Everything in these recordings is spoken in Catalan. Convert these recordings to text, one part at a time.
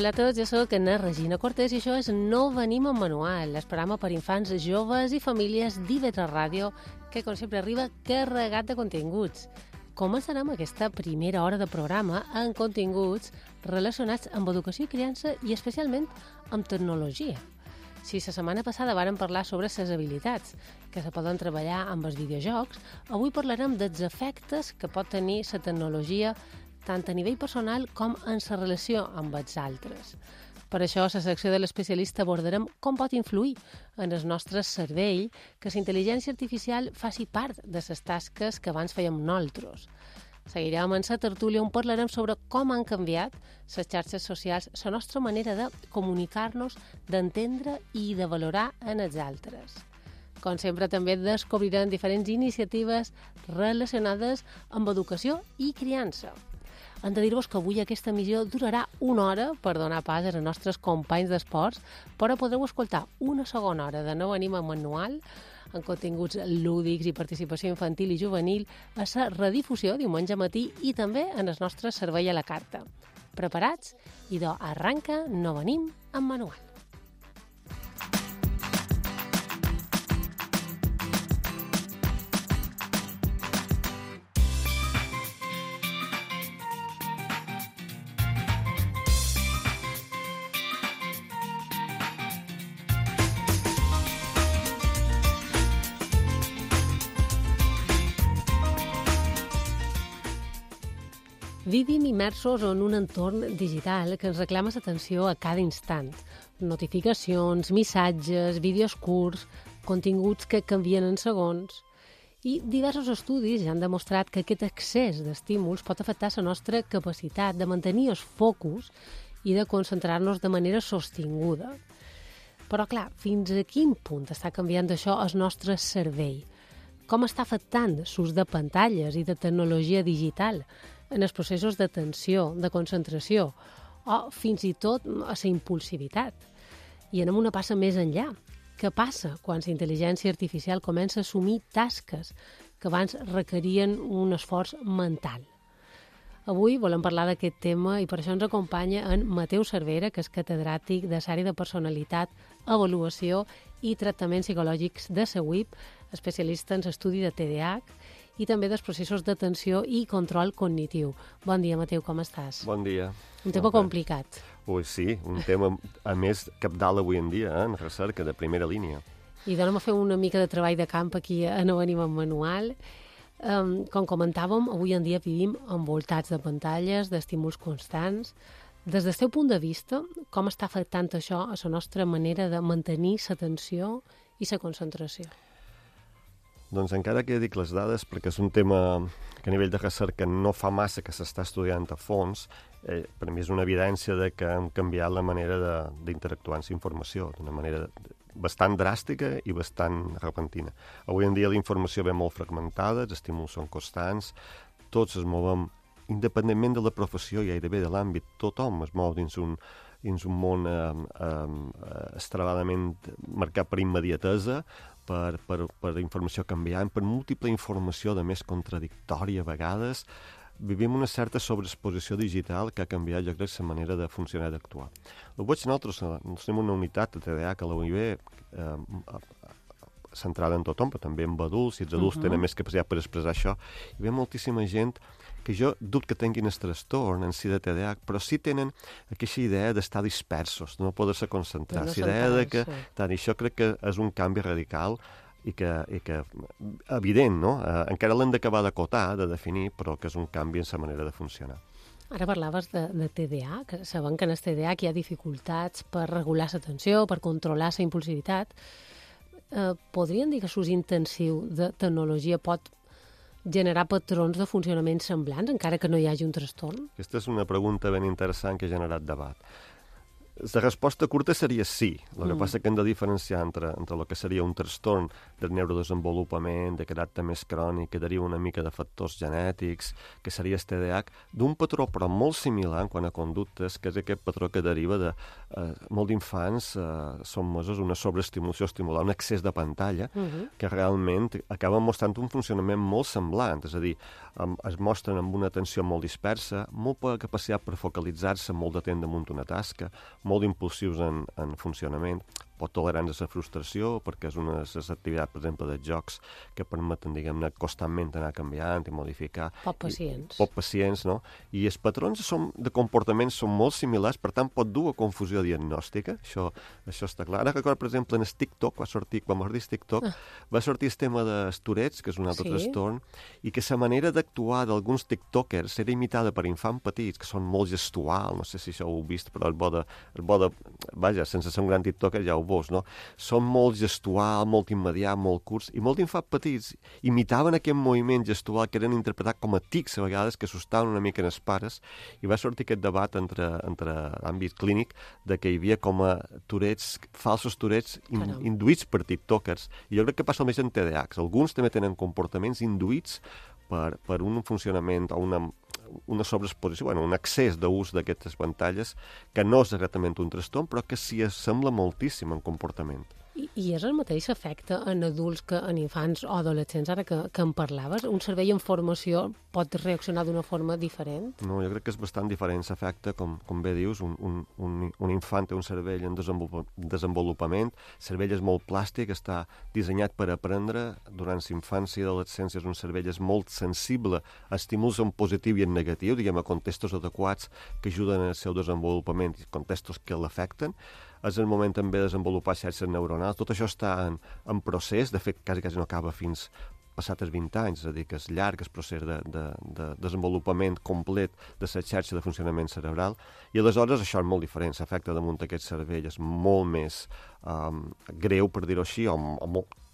Hola a tots, jo soc Anna Regina Cortés i això és No venim amb manual, el programa per infants, joves i famílies d'IV3 Ràdio, que com sempre arriba carregat de continguts. Començarem aquesta primera hora de programa amb continguts relacionats amb educació i criança i especialment amb tecnologia. Si la setmana passada vàrem parlar sobre les habilitats que se poden treballar amb els videojocs, avui parlarem dels efectes que pot tenir la tecnologia tant a nivell personal com en la relació amb els altres. Per això, a la secció de l'especialista abordarem com pot influir en el nostre cervell que la intel·ligència artificial faci part de les tasques que abans fèiem nosaltres. Seguirem en la tertúlia on parlarem sobre com han canviat les xarxes socials la nostra manera de comunicar-nos, d'entendre i de valorar en els altres. Com sempre, també descobrirem diferents iniciatives relacionades amb educació i criança. Hem de dir-vos que avui aquesta emissió durarà una hora per donar pas als nostres companys d'esports, però podreu escoltar una segona hora de No venim amb manual, amb continguts lúdics i participació infantil i juvenil, a la redifusió diumenge matí i també en el nostre servei a la carta. Preparats? Idò, arranca No venim amb manual. Vivim immersos en un entorn digital que ens reclama l'atenció a cada instant. Notificacions, missatges, vídeos curts, continguts que canvien en segons. I diversos estudis ja han demostrat que aquest excés d'estímuls pot afectar la nostra capacitat de mantenir el focus i de concentrar-nos de manera sostinguda. Però, clar, fins a quin punt està canviant això el nostre cervell? Com està afectant l'ús de pantalles i de tecnologia digital en els processos d'atenció, de concentració o fins i tot a la impulsivitat? I anem una passa més enllà. Què passa quan la intel·ligència artificial comença a assumir tasques que abans requerien un esforç mental? Avui volem parlar d'aquest tema i per això ens acompanya en Mateu Cervera, que és catedràtic de l'àrea de personalitat, avaluació i tractaments psicològics de la UIP, especialista en l'estudi de TDAH i també dels processos d'atenció i control cognitiu. Bon dia, Mateu, com estàs? Bon dia. Un tema complicat. Ui, sí, un tema, a més, cabdal avui en dia, en recerca de primera línia. I dona'm a fer una mica de treball de camp aquí a No venim amb manual. Com comentàvem, avui en dia vivim envoltats de pantalles, d'estímuls constants. Des del teu punt de vista, com està afectant això a la nostra manera de mantenir l'atenció i la concentració? Doncs encara que dic les dades, perquè és un tema que a nivell de recerca no fa massa que s'està estudiant a fons, per mi és una evidència de que hem canviat la manera d'interactuar amb la informació d'una manera bastant dràstica i bastant repentina. Avui en dia la informació ve molt fragmentada, els estímuls són constants, tots es movem, independentment de la professió i gairebé de l'àmbit, tothom es mou dins un món extremadament marcat per immediatesa, per informació canviant, per múltiple informació de més contradictòria a vegades. Vivim una certa sobreexposició digital que ha canviat, jo crec, la manera de funcionar i d'actuar. El boig nosaltres tenim una unitat de TDAH a la UIB centrada en tothom, però també en adults, i els adults tenen més capacitat per expressar això. Hi ve moltíssima gent que jo dubto que tinguin el trastorn en si de TDAH, però sí tenen aquesta idea d'estar dispersos, de no poder-se concentrar. La idea de que, tant, i això crec que és un canvi radical i que evident, no? Encara l'hem d'acabar d'acotar, de definir, però que és un canvi en la manera de funcionar. Ara parlaves de TDAH, que sabem que en el TDAH hi ha dificultats per regular l'atenció, per controlar la impulsivitat. Podríem dir que l'ús intensiu de tecnologia pot generar patrons de funcionament semblants, encara que no hi hagi un trastorn? Aquesta és una pregunta ben interessant que ha generat debat. La resposta curta seria sí. El que passa que hem de diferenciar entre el que seria un trastorn del neurodesenvolupament, de caràcter més crònic, que deriva una mica de factors genètics, que seria el TDAH, d'un patró però molt similar en quant a conductes, que és aquest patró que deriva de molt d'infants són mesos una sobreestimulació estimular, un excés de pantalla, que realment acaba mostrant un funcionament molt semblant, és a dir, es mostren amb una atenció molt dispersa, molt poca capacitat per focalitzar-se molt de temps damunt una tasca, molt impulsius en funcionament, poc tolerants a la frustració, perquè és una de les activitats, per exemple, de jocs que permeten, diguem-ne, constantment anar canviant i modificar. Poc pacients. Poc pacients, no? I els patrons de comportaments són molt similars, per tant, pot dur a confusió diagnòstica, això està clar. Ara recordo, per exemple, en el TikTok, quan va sortir el TikTok, va sortir el tema dels Tourets, que és un altre trastorn, i que la manera d'actuar d'alguns tiktokers era imitada per infants petits, que són molt gestuals, no sé si això ho heu vist, però és bo de vaja, sense ser un gran tiktoker ja ho veus, no? Són molt gestuals, molt immediats, molt curts, i molt d'infants petits imitaven aquest moviment gestual que eren interpretats com a tics, a vegades, que assustaven una mica els pares, i va sortir aquest debat entre àmbit clínic de que hi havia com a Tourets, falsos Tourets induïts per tiktokers. I jo crec que passa el més en TDAH. Alguns també tenen comportaments induïts per un funcionament o una sobreexposició, un excés d'ús d'aquestes pantalles que no és exactament un trastorn, però que s'hi assembla moltíssim en comportament. I és el mateix efecte en adults que en infants o adolescents, ara que en parlaves? Un cervell en formació pot reaccionar d'una forma diferent? No, jo crec que és bastant diferent l'efecte, com bé dius, un infant té un cervell en desenvolupament, el cervell és molt plàstic, està dissenyat per aprendre, durant l'infància i l'adolescència un cervell és molt sensible a estímuls en positiu i en negatiu, diguem, a contextos adequats que ajuden al seu desenvolupament i contextos que l'afecten. És el moment també de desenvolupar xarxes neuronals. Tot això està en procés, de fet, quasi no acaba fins passat els 20 anys, és a dir, que és llarg el procés de desenvolupament complet de la xarxa de funcionament cerebral, i aleshores això és molt diferent. L'efecte damunt d'aquest cervell és molt més greu, per dir-ho així,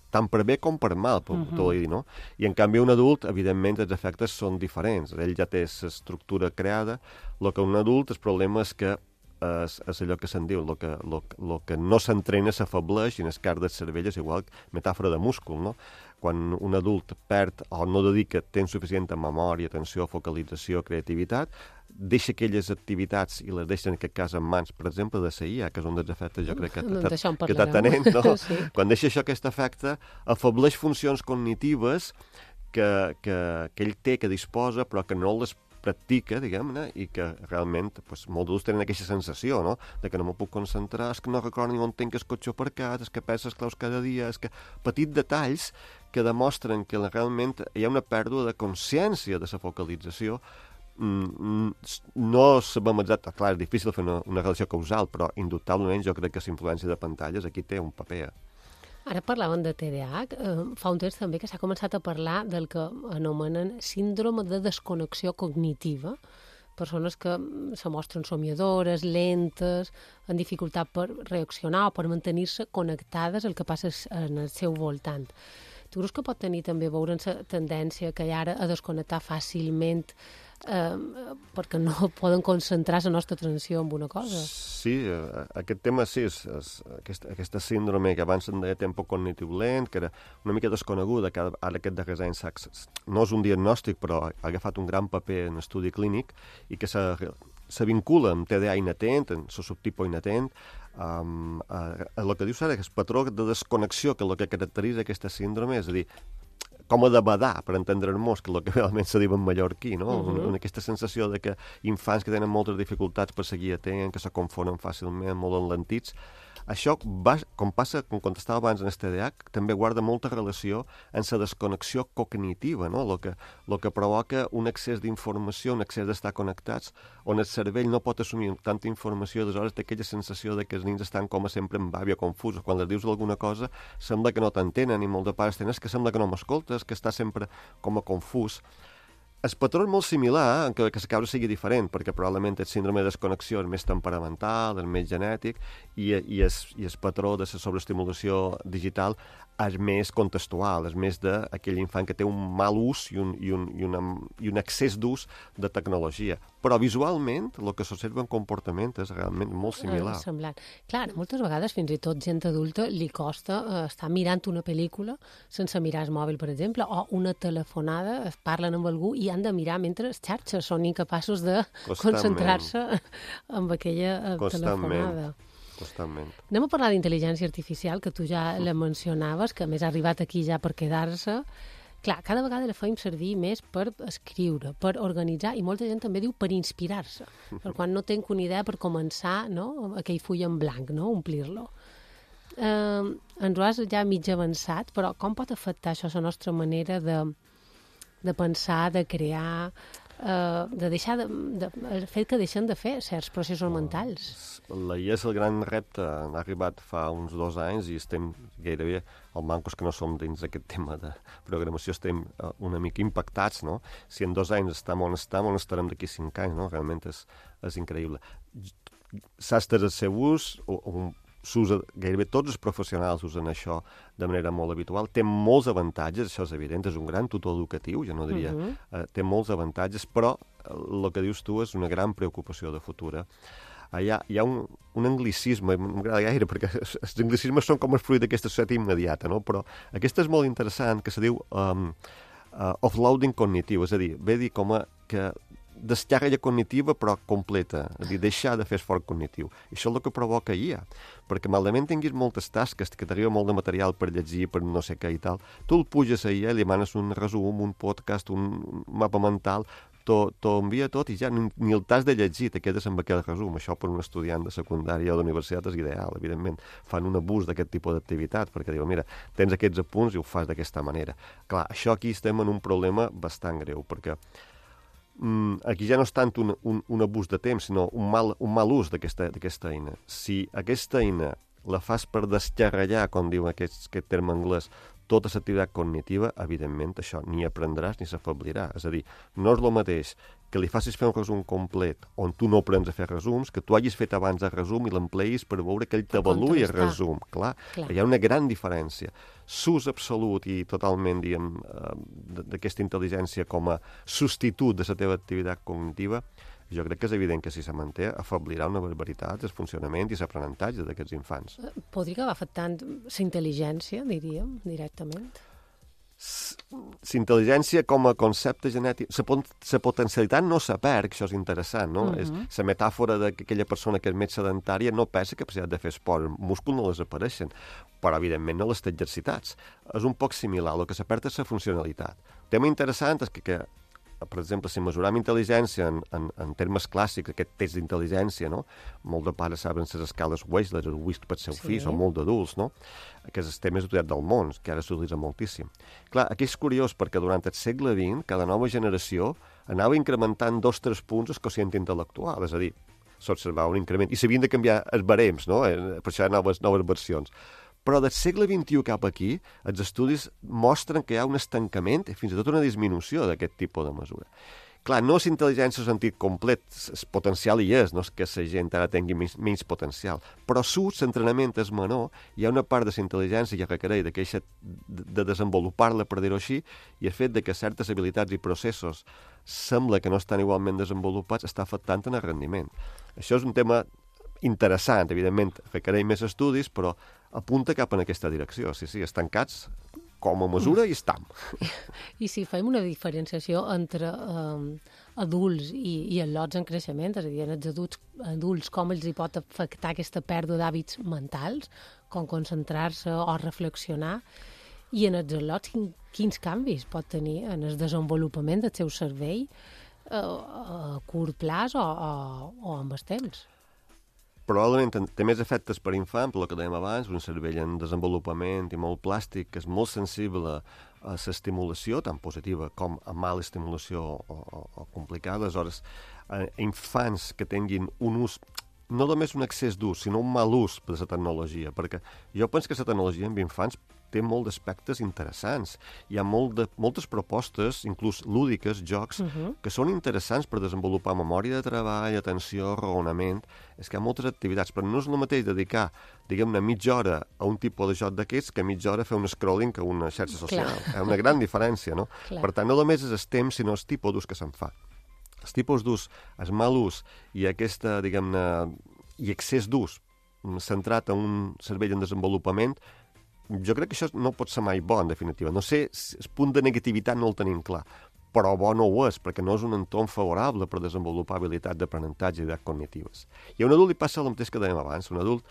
tant per bé com per mal, t'ho he dit, no? I en canvi un adult, evidentment, els efectes són diferents. Ell ja té l'estructura creada, el que un adult, el problema és que és allò que se'n diu, el que no s'entrena s'afableix, i en el cas del cervell és igual metàfora de múscul, no? Quan un adult perd o no dedica temps suficient a memòria, atenció, focalització, creativitat, deixa aquelles activitats i les deixa en aquest cas en mans, per exemple, de la IA, que és un dels efectes, jo crec que t'ha tenent, no? Sí. Quan deixa això, aquest efecte, afableix funcions cognitives que ell té, que disposa, però que no les practica, diguem-ne, i que realment molts d'ells tenen aquesta sensació, no?, de que no me puc concentrar, és que no recordo ni on tinc el cotxe aparcat, és que perds les claus cada dia, és que petits detalls que demostren que realment hi ha una pèrdua de consciència de la focalització. No sabem exacte, clar, és difícil fer una relació causal, però indubtablement jo crec que la influència de pantalles aquí té un paper. Ara parlaven de TDAH, fa un temps també que s'ha començat a parlar del que anomenen síndrome de desconnexió cognitiva, persones que se mostren somiadores, lentes, amb dificultat per reaccionar o per mantenir-se connectades al que passa en el seu voltant. Tu creus que pot tenir també a veure la tendència que hi ha ara a desconnectar fàcilment perquè no poden concentrar la nostra atenció en una cosa? Sí, aquest tema sí, aquesta síndrome que abans en deia tempo cognitiu lent, que era una mica desconeguda, que ara aquest darrers anys no és un diagnòstic, però ha agafat un gran paper en estudi clínic i que se vincula amb TDA inatent, en el subtipus inatent, el que dius ara, que és el patró de desconnexió, que el que caracteritza aquesta síndrome, és a dir, com a de badar, per entendre-nos, que el que realment se diu en mallorquí, no? Aquesta sensació de que infants que tenen moltes dificultats per seguir atent, que se confonen fàcilment, molt enlentits. Això, com contestava abans en el TDAH, també guarda molta relació amb la desconnexió cognitiva, no? El que provoca un excés d'informació, un excés d'estar connectats, on el cervell no pot assumir tanta informació, aleshores té aquella sensació de que els nens estan com sempre en bàbia, confusos. Quan els dius alguna cosa, sembla que no t'entenen, i molts de pares tenen que sembla que no m'escoltes, que està sempre com a confús. El patró és molt similar, encara que la causa sigui diferent, perquè probablement el síndrome de desconnexió és més temperamental, és més genètic, i el patró de la sobreestimulació digital és més contextual, és més d'aquell infant que té un mal ús i un excés d'ús de tecnologia. Però visualment el que s'observa en comportament és realment molt similar. Semblant. Clar, moltes vegades fins i tot gent adulta li costa estar mirant una pel·lícula sense mirar el mòbil, per exemple, o una telefonada, es parlen amb algú i han de mirar mentre les xarxes són incapaços de concentrar-se amb aquella telefonada. Constantment. Anem a parlar d'intel·ligència artificial, que tu ja la mencionaves, que a més ha arribat aquí ja per quedar-se. Clar, cada vegada la fem servir més per escriure, per organitzar, i molta gent també diu per inspirar-se, per quan no tenc una idea per començar, no?, aquell full en blanc, no?, omplir-lo. Ens ho has ja mig avançat, però com pot afectar això la nostra manera de pensar, de crear, de deixar el fet que deixen de fer certs processos mentals? La IA és el gran repte. Ha arribat fa uns 2 anys i estem gairebé, els mancos que no som dins d'aquest tema de programació, estem una mica impactats, no? Si en 2 anys estem on estarem d'aquí 5 anys, no? Realment és increïble. S'ha estès el seu ús, s'usa, gairebé tots els professionals usen això de manera molt habitual. Té molts avantatges, això és evident, és un gran tutor educatiu, jo no diria, té molts avantatges, però el que dius tu és una gran preocupació de futura. Hi ha un anglicisme, m'agrada gaire, perquè els anglicismes són com el fruit d'aquesta societat immediata, no? Però aquest és molt interessant, que se diu offloading cognitiu, és a dir, ve a dir com que descàrrega cognitiva però completa, és a dir, deixar de fer esforç cognitiu. I això és el que provoca IA, perquè malament tinguis moltes tasques, que t'arriba molt de material per llegir, per no sé què i tal, tu el puges a IA, li manes un resum, un podcast, un mapa mental, t'ho envia tot i ja ni el t'has de llegir, te quedes amb aquell resum. Això per un estudiant de secundària o d'universitat és ideal, evidentment. Fan un abús d'aquest tipus d'activitat, perquè diuen, mira, tens aquests apunts i ho fas d'aquesta manera. Clar, això aquí estem en un problema bastant greu, perquè aquí ja no és tant un abús de temps, sinó un mal ús d'aquesta eina. Si aquesta eina la fas per descarregar, com diu aquest terme anglès, tota l'activitat cognitiva, evidentment, això ni aprendràs ni s'afablirà. És a dir, no és el mateix que li facis fer un resum complet on tu no aprens a fer resums, que tu hagis fet abans el resum i l'empleïs per veure que ell t'avaluï el resum. Clar, hi ha una gran diferència. S'ús absolut i totalment, diguem, d'aquesta intel·ligència com a substitut de la teva activitat cognitiva, jo crec que és evident que si se manté afablirà una barbaritat el funcionament i l'aprenentatge d'aquests infants. Podria acabar afectant la intel·ligència, diríem, directament? L'intel·ligència com a concepte genètic, la potencialitat no se perd, això és interessant, no? És la metàfora d'aquella persona que és més sedentària no pensa capacitat de fer esport, els músculs no les apareixen, però evidentment no les té exercitats. És un poc similar, el que se perd és la funcionalitat. El tema interessant és que per exemple, si mesuram intel·ligència en termes clàssics, aquest test d'intel·ligència, no? Molts de pares saben les escales Wechsler, el WISC per seus fills, o molt d'adults, no? Que és el tema més utilitzat del món, que ara s'utilitza moltíssim. Clar, aquí és curiós perquè durant el segle XX, cada nova generació anava incrementant 2-3 punts el quocient intel·lectual, és a dir, s'observava un increment, i s'havien de canviar els barems, no? Per això hi ha noves versions. Però del segle XXI cap aquí, els estudis mostren que hi ha un estancament i fins i tot una disminució d'aquest tipus de mesura. Clar, no és intel·ligència en sentit complet, el potencial hi és, no és que la gent ara tingui menys potencial, però l'entrenament és menor, hi ha una part de la intel·ligència que requereix de desenvolupar-la, per dir-ho així, i el fet de que certes habilitats i processos sembla que no estan igualment desenvolupats està afectant en el rendiment. Això és un tema interessant, evidentment, requereix més estudis, però apunta cap en aquesta direcció. Sí, estancats com a mesura i estam. I si fem una diferenciació entre adults i al·lots en creixement, és a dir, els adults com els hi pot afectar aquesta pèrdua d'hàbits mentals, com concentrar-se o reflexionar, i en els al·lots quins canvis pot tenir en el desenvolupament del seu cervell a curt plaç o amb el temps? Probablement té més efectes per infant, per el que dèiem abans, un cervell en desenvolupament i molt plàstic, que és molt sensible a l'estimulació, tant positiva com a mala estimulació o complicada. Aleshores, infants que tinguin un ús, no només un excés d'ús, sinó un mal ús de la tecnologia, perquè jo penso que la tecnologia amb infants té molt d'aspectes interessants. Hi ha moltes propostes, inclús lúdiques, jocs, que són interessants per desenvolupar memòria de treball, atenció, raonament. És que hi ha moltes activitats, però no és el mateix dedicar, diguem-ne, mitja hora a un tipus de joc d'aquests que mitja hora a fer un scrolling a una xarxa social. Hi ha una gran diferència, no? Clar. Per tant, no només és el temps, sinó el tipus d'ús que se'n fa. Els tipus d'ús, el mal ús i aquesta, diguem-ne, i excés d'ús centrat en un cervell en desenvolupament, jo crec que això no pot ser mai bo, en definitiva. No sé, el punt de negativitat no el tenim clar, però bo no ho és, perquè no és un entorn favorable per desenvolupar habilitats d'aprenentatge i idees cognitives. I a un adult li passa el mateix que dèiem abans. Un adult,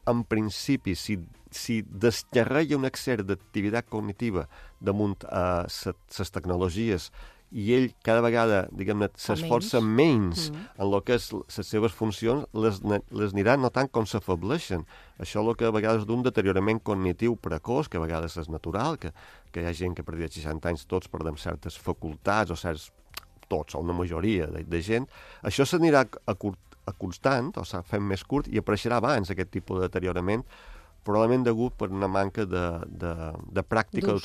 en principi, si descarrega un excés d'activitat cognitiva damunt les tecnologies i ell cada vegada, diguem-ne, s'esforça menys en el que és les seves funcions, les anirà notant com s'afableixen. Això és el que a vegades d'un deteriorament cognitiu precoç, que a vegades és natural, que hi ha gent que a partir de 60 anys tots perdem certes facultats, o tots, o una majoria de gent. Això s'anirà acostant, o fent més curt, i apareixerà abans aquest tipus de deteriorament, probablement degut per una manca de pràctica,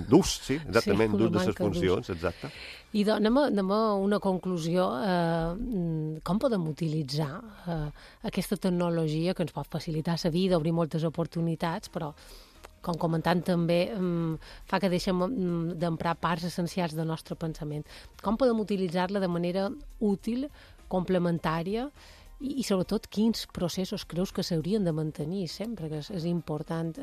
d'ús, sí, exactament, d'ús de les funcions, exacte. I anem a una conclusió. Com podem utilitzar aquesta tecnologia que ens pot facilitar la vida, obrir moltes oportunitats, però, com comentant també, fa que deixem d'emprar parts essencials del nostre pensament. Com podem utilitzar-la de manera útil, complementària, i sobretot quins processos creus que s'haurien de mantenir sempre, que és important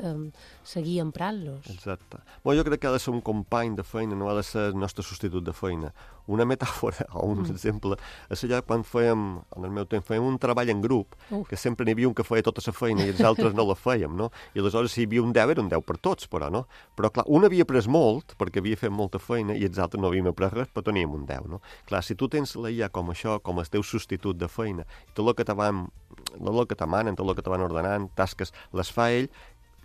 seguir emprant-los? Exacte. Jo crec que ha de ser un company de feina, no ha de ser el nostre substitut de feina. Una metàfora o un exemple és allò quan fèiem, en el meu temps, fèiem un treball en grup, que sempre n'hi havia un que feia tota la feina i els altres no la fèiem, no? I aleshores si hi havia un 10 era un 10 per tots, però, no? Però, clar, un havia après molt perquè havia fet molta feina i els altres no havíem après res, però teníem un 10, no? Clar, si tu tens la IA com això, com el teu substitut de feina, i tot el que t'amanen, tot el que te van ordenant, tasques, les fa ell,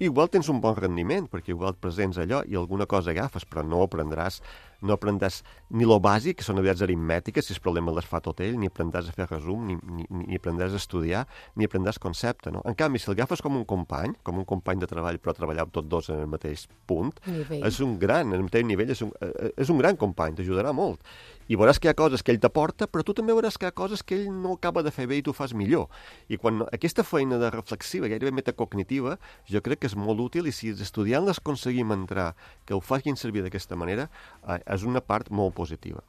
igual tens un bon rendiment, perquè igual et presents allò i alguna cosa agafes, però no aprendràs ni lo bàsic, que són habilitats aritmètiques, si el problema les fa tot ell, ni aprendràs a fer resum, ni aprendràs a estudiar, ni aprendràs concepte, no? En canvi, si l'agafes com un company de treball, però treballeu tots dos en el mateix punt, és un gran, en el mateix nivell, és un gran company, t'ajudarà molt. I veuràs que hi ha coses que ell t'aporta, però tu també veuràs que hi ha coses que ell no acaba de fer bé i tu fas millor. I quan aquesta feina de reflexiva, gairebé metacognitiva, jo crec que és molt útil, i si els estudiants l'aconseguim entrar, que ho facin servir d'aquesta manera, és una part molt positiva.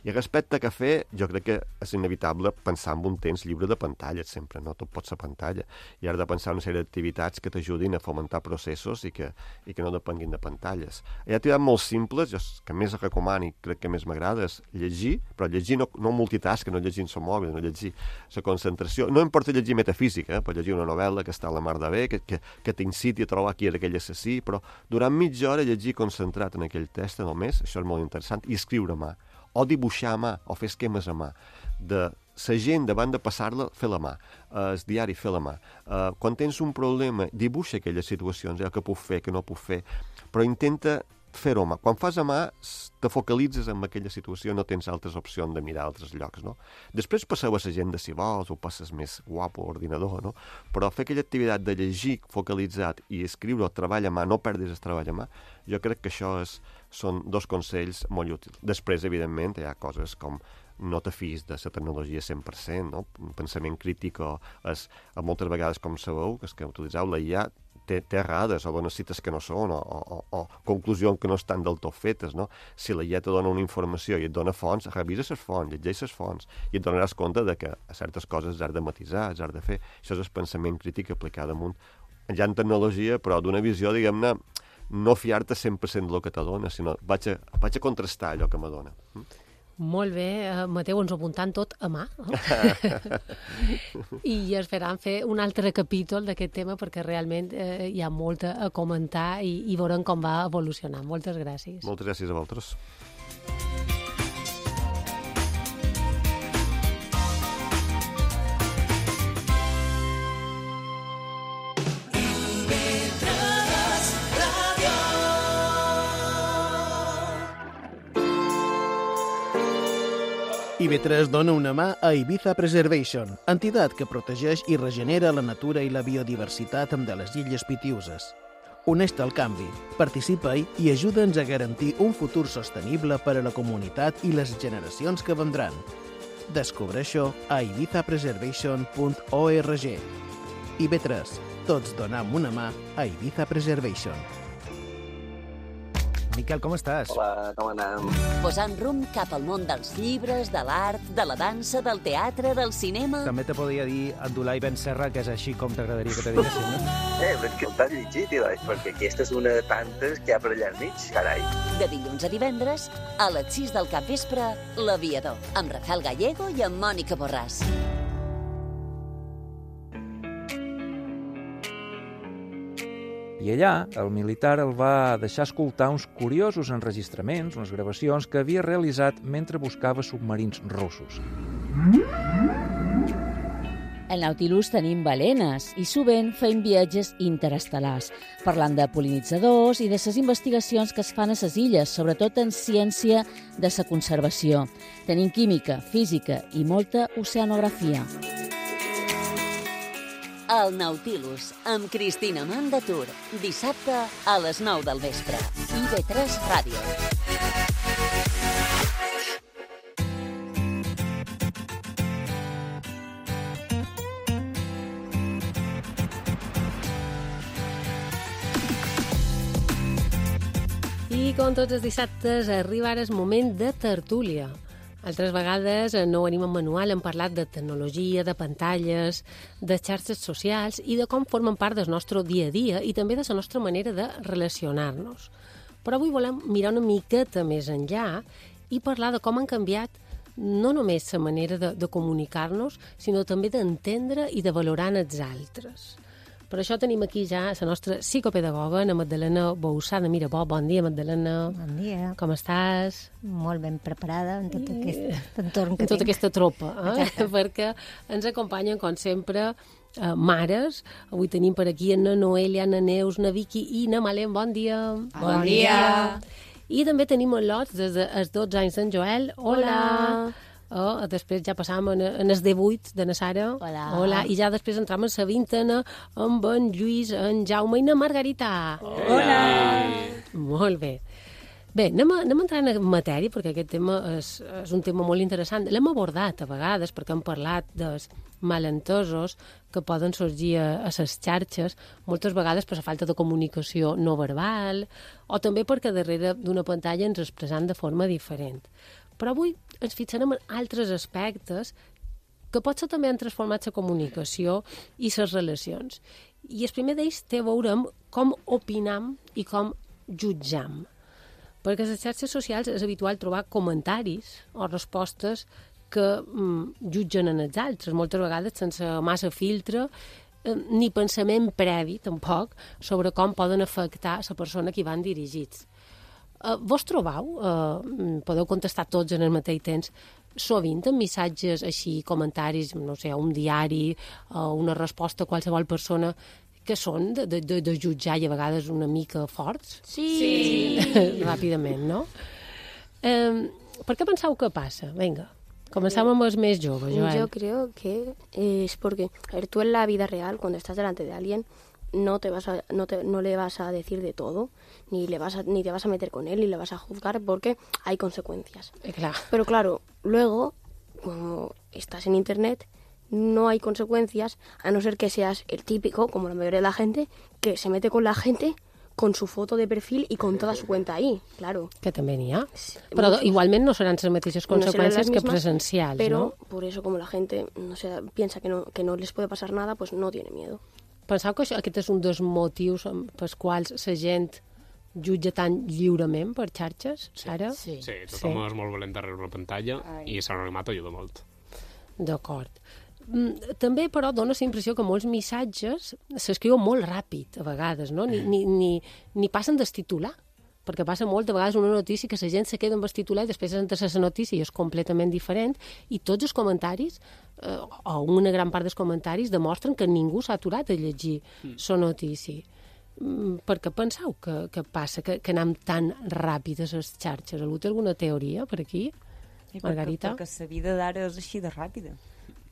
I respecte a cafè, jo crec que és inevitable pensar en un temps lliure de pantalles sempre, no tot pot ser pantalla. I has de pensar en una sèrie d'activitats que t'ajudin a fomentar processos i que no depenguin de pantalles. Hi ha activitats molt simples, que més recomano i crec que més m'agrada, és llegir, però llegir no multitask, no llegir en el mòbil, no llegir la concentració. No importa llegir metafísica, per llegir una novel·la que està a la mar de bé, que t'inciti a trobar qui era aquell assassí, però durant mitja hora llegir concentrat en aquell text només, això és molt interessant, i escriure a mà, o dibuixar a mà, o fer esquemes a mà. De la gent davant de passar-la, fer la mà. El diari, fer la mà. Quan tens un problema, dibuixa aquelles situacions, que puc fer, que no puc fer, però intenta fer-ho a mà. Quan fas a mà, te focalitzes en aquella situació, no tens altres opcions de mirar altres llocs, no? Després passeu a l'agenda si vols, o passes més guapo a l'ordinador, no? Però fer aquella activitat de llegir focalitzat i escriure o treball a mà, no perdis el treball a mà, jo crec que això són dos consells molt útils. Després, evidentment, hi ha coses com no te fiïs de la tecnologia 100%, no? Un pensament crític moltes vegades, com sabeu, que utilitzeu la IA, té errades o dona cites que no són o conclusions que no estan del tot fetes, no? Si la IA te dona una informació i et dona fonts, revisa les fonts, llegeix les fonts i et donaràs compte de que a certes coses has de matisar, has de fer. Això és el pensament crític aplicat damunt ja en tecnologia, però d'una visió, diguem-ne, no fiar-te 100% del que t'adona, sinó vaig a contrastar allò que m'adona. Molt bé, Mateu, ens ho apuntant tot a mà. I esperam fer un altre capítol d'aquest tema perquè realment hi ha molt a comentar i veurem com va evolucionar. Moltes gràcies. Moltes gràcies a vosaltres. IB3 dona una mà a Ibiza Preservation, entitat que protegeix i regenera la natura i la biodiversitat de les Illes Pitiüses. Uneix-te al canvi, participa-hi i ajuda'ns a garantir un futur sostenible per a la comunitat i les generacions que vendran. Descobreix-ho a ibizapreservation.org. IB3, tots donam una mà a Ibiza Preservation. Miquel, com estàs? Hola, com anem? Posant rumb cap al món dels llibres, de l'art, de la dansa, del teatre, del cinema... També te podria dir Abdullah Ben Serra, que és així com t'agradaria que te diguessin, no? Però és que t'has llegit, perquè aquesta és una de tantes que hi ha per allà enmig, carai. De dilluns a divendres, a les 6 del capvespre, L'Aviador, amb Rafael Gallego i amb Mònica Borràs. I allà, el militar el va deixar escoltar uns curiosos enregistraments, unes gravacions que havia realitzat mentre buscava submarins russos. Al Nautilus tenim balenes i sovint fem viatges interestel·lars, parlant de pol·linitzadors i de les investigacions que es fan a les illes, sobretot en ciència de la conservació. Tenim química, física i molta oceanografia. El Nautilus, amb Cristina Mandatur, dissabte a les 9 del vespre. IB3 Ràdio. I com tots els dissabtes, arriba ara el moment de tertúlia. Altres vegades no venim en manual, hem parlat de tecnologia, de pantalles, de xarxes socials i de com formen part del nostre dia a dia i també de la nostra manera de relacionar-nos. Però avui volem mirar una miqueta més enllà i parlar de com han canviat no només la manera de comunicar-nos, sinó també d'entendre i de valorar els altres. Per això tenim aquí ja la nostra psicopedagoga, la Magdalena Boussada. Mira, bon dia, Magdalena. Bon dia. Com estàs? Molt ben preparada en tot aquest entorn que tota tinc. aquesta tropa, perquè ens acompanyen, com sempre, mares. Avui tenim per aquí na Noelia, na Neus, na Vicky i na Malén. Bon dia. Bon dia. I també tenim en Lots des dels 12 anys d'en Joel. Hola. Després ja passàvem en els 18 de na Sara. Hola. I ja després entram en la vintena amb en Lluís, en Jaume i na Margarita. Hola. Molt bé. Bé, anem entrant en matèria, perquè aquest tema és un tema molt interessant. L'hem abordat a vegades, perquè hem parlat dels malentesos que poden sorgir a les xarxes, moltes vegades per la falta de comunicació no verbal, o també perquè darrere d'una pantalla ens expressam de forma diferent. Però avui ens fixarem en altres aspectes que potser també han transformat la comunicació i les relacions. I el primer d'ells té a veure amb com opinam i com jutjam. Perquè a les xarxes socials és habitual trobar comentaris o respostes que jutgen en els altres, moltes vegades sense massa filtre, ni pensament previ, tampoc, sobre com poden afectar la persona a qui van dirigits. Vos trobeu, podeu contestar tots en el mateix temps, sovint en missatges així, comentaris, no sé, a un diari, una resposta a qualsevol persona, que són de jutjar i a vegades una mica forts? Sí. Ràpidament, no? Per què penseu que passa? Vinga, comencem amb els més joves, Joel. Yo creo que es porque, a ver, tú en la vida real, cuando estás delante de alguien, no le vas a decir de todo, ni te vas a meter con él, ni le vas a juzgar porque hay consecuencias. Claro. Pero claro, luego, como estás en internet, no hay consecuencias, a no ser que seas el típico, como la mayoría de la gente, que se mete con la gente con su foto de perfil y con toda su cuenta ahí, claro. Que també n'hi ha. Sí, Però muchos. igualment no seran les mateixes No serán conseqüències las que mismas, presencials, pero no? por eso, como la gente no sé, piensa que no les puede pasar nada, pues no tiene miedo. Penseu que aquest és un dels motius pels quals la gent jutja tan lliurement per xarxes, Sara? Sí, tothom és molt valent darrere la pantalla i l'anonimat ajuda molt. D'acord. També, però, dona la impressió que molts missatges s'escriuen molt ràpid, a vegades, no? Ni passen del titular, perquè passa molt, a vegades, una notícia que la gent se queda amb el titular i després entra la notícia i és completament diferent, i tots els comentaris, o una gran part dels comentaris, demostren que ningú s'ha aturat a llegir la notícia. Per què penseu que passa, que anem tan ràpid a les xarxes? Algú té alguna teoria per aquí? Margarita? Perquè la vida d'ara és així de ràpida.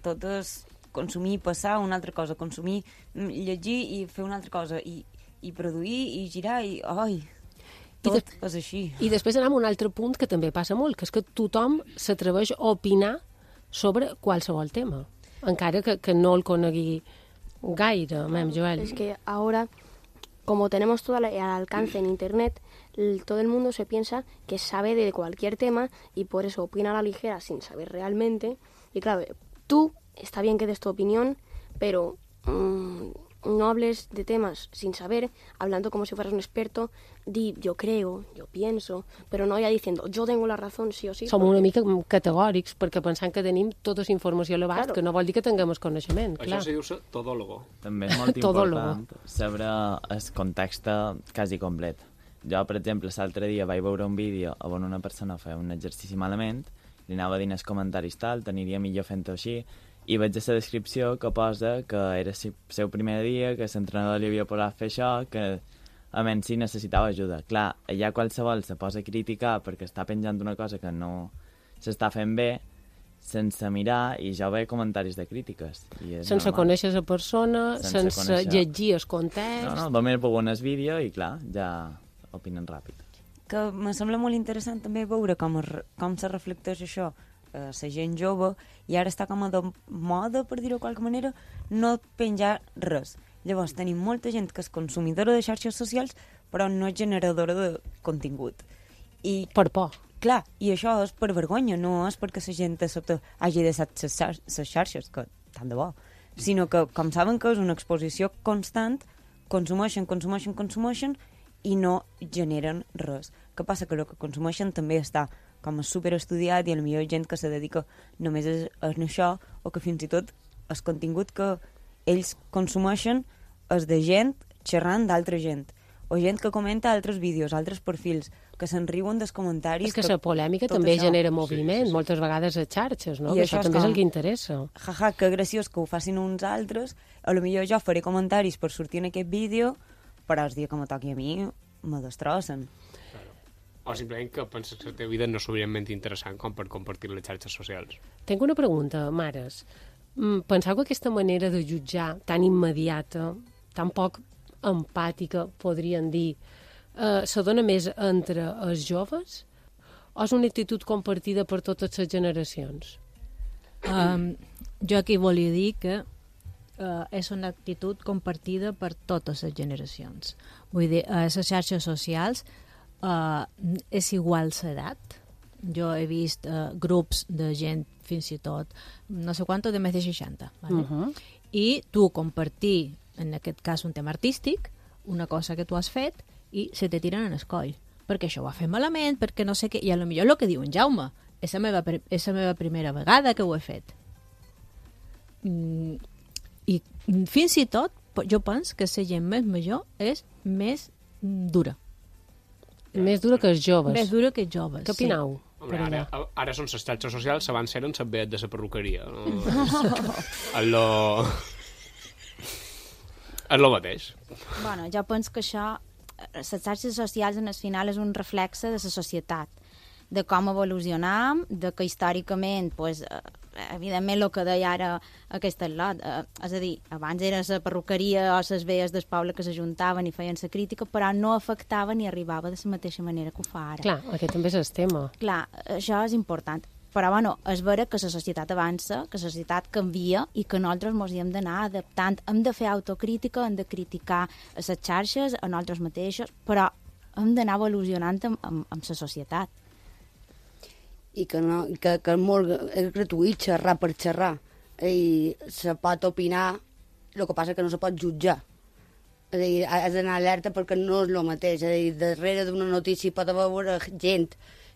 Tot és consumir, passar una altra cosa, consumir, llegir i fer una altra cosa. I i produir i girar i... Ai, tot és així. I després anem a un altre punt que també passa molt, que és que tothom s'atreveix a opinar sobre qualsevol tema, encara que no el conegui gaire, Joel. Es que ahora, como tenemos todo al alcance en Internet, todo el mundo se piensa que sabe de cualquier tema y por eso opina a la ligera sin saber realmente. Y claro, tú, está bien que des tu opinión, pero no hables de temas sin saber, hablando como si fueras un experto. Di, yo creo, yo pienso, però no ja diciendo, yo tengo la razón, sí o sí. Som una mica categòrics, perquè pensant que tenim tota la informació a l'abast, que no vol dir que tinguem el coneixement, clar. Això se diu todólogo. També és molt important saber el context quasi complet. Jo, per exemple, l'altre dia vaig veure un vídeo on una persona feia un exercici malament, li anava dient els comentaris tal, t'aniria millor fent-ho així, i veig a la descripció que posa que era el seu primer dia, que l'entrenador li havia posat a fer això, que a menys si necessitava ajuda. Clar, allà qualsevol se posa a criticar perquè està penjant una cosa que no s'està fent bé, sense mirar, i ja veig comentaris de crítiques. Sense conèixer la persona, sense llegir el context... No, només veuen el vídeo i, clar, ja opinen ràpid. Que me sembla molt interessant també veure com se reflecteix això la gent jove, i ara està com a de moda, per dir-ho de qualque manera, no penjar res. Llavors, tenim molta gent que és consumidora de xarxes socials, però no és generadora de contingut. I, per por. Clar, i això és per vergonya, no és perquè la gent hagi deixat les xarxes, que tant de bo, sinó que, com saben que és una exposició constant, consumeixen i no generen res. Què passa? Que el que consumeixen també està com a superestudiat i potser gent que se dedica només a això, o que fins i tot el contingut que ells consumeixen és de gent xerrant d'altra gent, o gent que comenta altres vídeos, altres perfils, que se'n riuen dels comentaris. És que la polèmica també genera moviment, moltes vegades a xarxes, no? I això també és el que interessa. Jaja, que graciós que ho facin uns altres, a lo millor jo faré comentaris per sortir en aquest vídeo, però el dia que me toqui a mi, me destrossen. O simplement que penses que la teva vida no és suficientment interessant com per compartir les xarxes socials. Tinc una pregunta, mares. Penseu que aquesta manera de jutjar tan immediata, tan poc empàtica, podríem dir, se dona més entre els joves o és una actitud compartida per totes les generacions? Jo aquí volia dir que és una actitud compartida per totes les generacions. Vull dir, a les xarxes socials és igual l'edat. Jo he vist grups de gent, fins i tot, no sé quant, de més de 60. ¿vale? I tu compartir, en aquest cas un tema artístic, una cosa que tu has fet, i se te tiren en el coll. Perquè això ho ha fet malament, perquè no sé què... I a lo millor el que diu en Jaume, és la meva primera vegada que ho he fet. I fins i tot, jo penso que la gent més major és més dura. Més dura que els joves. Més dura que els joves, Què opinau? Sí. Home, ara són les xarxes socials, abans eren les veies de la perruqueria. No? És el mateix. Bueno, jo penso que això, les xarxes socials en el final és un reflexe de la societat, de com evolucionam, de que històricament, pues, evidentment el que deia ara aquest lot, és a dir, abans era la perruqueria o les veies del poble que s'ajuntaven i feien la crítica, però no afectava ni arribava de la mateixa manera que ho fa ara. Clar, aquest també és el tema. Clar, això és important. Però, bueno, és vera que la societat avança, que la societat canvia i que nosaltres ens hi hem d'anar adaptant. Hem de fer autocrítica, hem de criticar les xarxes, a nosaltres mateixos, però hem d'anar evolucionant amb la societat. I que és molt gratuït xerrar per xerrar. I se pot opinar, el que passa que no se pot jutjar. És a dir, has d'anar alerta perquè no és el mateix. És a dir, darrere d'una notícia pot haver gent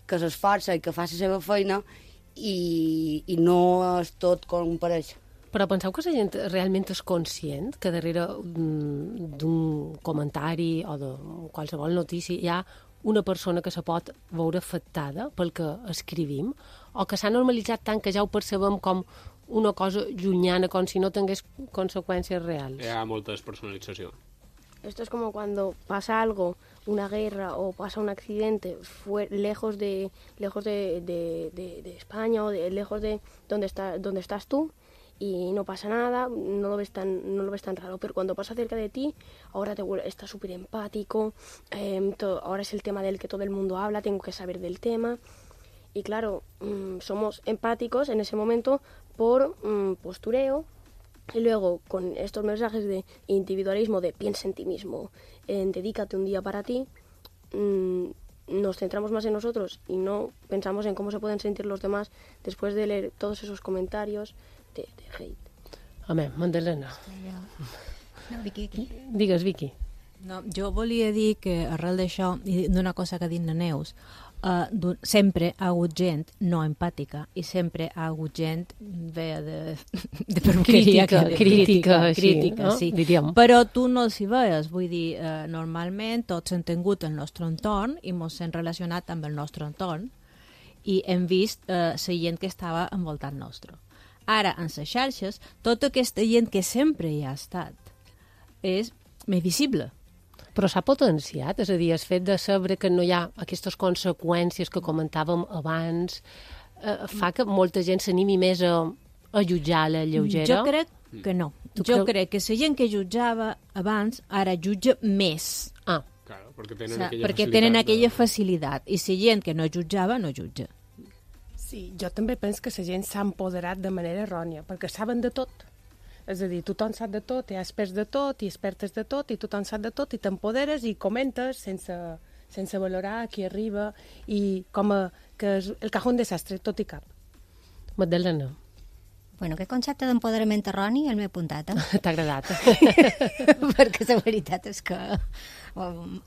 que s'esforça i que fa la seva feina i no és tot com pareix. Però penseu que la gent realment és conscient que darrere d'un comentari o de qualsevol notícia hi ha una persona que se pot veure afectada pel que escrivim, o que s'ha normalitzat tant que ja ho percebem com una cosa llunyana, com si no tingués conseqüències reals? Hi ha molta despersonalització. Esto es como cuando pasa algo, una guerra o pasa un accidente lejos de España o lejos de donde estás tú, y no pasa nada, no lo ves tan raro, pero cuando pasa cerca de ti, ahora estás súper empático, ahora es el tema del que todo el mundo habla, tengo que saber del tema, y claro, somos empáticos en ese momento por postureo, y luego con estos mensajes de individualismo, de piensa en ti mismo, dedícate un día para ti, nos centramos más en nosotros y no pensamos en cómo se pueden sentir los demás después de leer todos esos comentarios de hate. Home, Magdalena. No, Vicky. Digues, Vicky. No, jo volia dir que arrel d'això i d'una cosa que ha dit na Neus, sempre ha hagut gent no empàtica i sempre ha hagut gent de perruqueria crítica, no? sí. Diríem. Però tu no els hi veies, vull dir, normalment tots hem tingut el nostre entorn i ens hem relacionat amb el nostre entorn i hem vist la gent que estava envoltant nostre. Ara, en les xarxes, tota aquesta gent que sempre hi ha estat és més visible. Però s'ha potenciat, és a dir, el fet de saber que no hi ha aquestes conseqüències que comentàvem abans fa que molta gent s'animi més a jutjar a la lleugera? Jo crec que no. Jo crec que la gent que jutjava abans ara jutja més. Claro, perquè tenen aquella facilitat. I la gent que no jutjava, no jutja. Sí, jo també penso que la gent s'ha empoderat de manera errònia, perquè saben de tot. És a dir, tothom sap de tot, hi ha experts de tot, i expertes de tot, i tothom sap de tot, i t'empoderes i comentes sense valorar qui arriba, i com que és el cajón desastre, tot i cap. Magdalena. Bueno, aquest concepte d'empoderament erroni el m'he apuntat, T'ha agradat? Perquè la veritat és que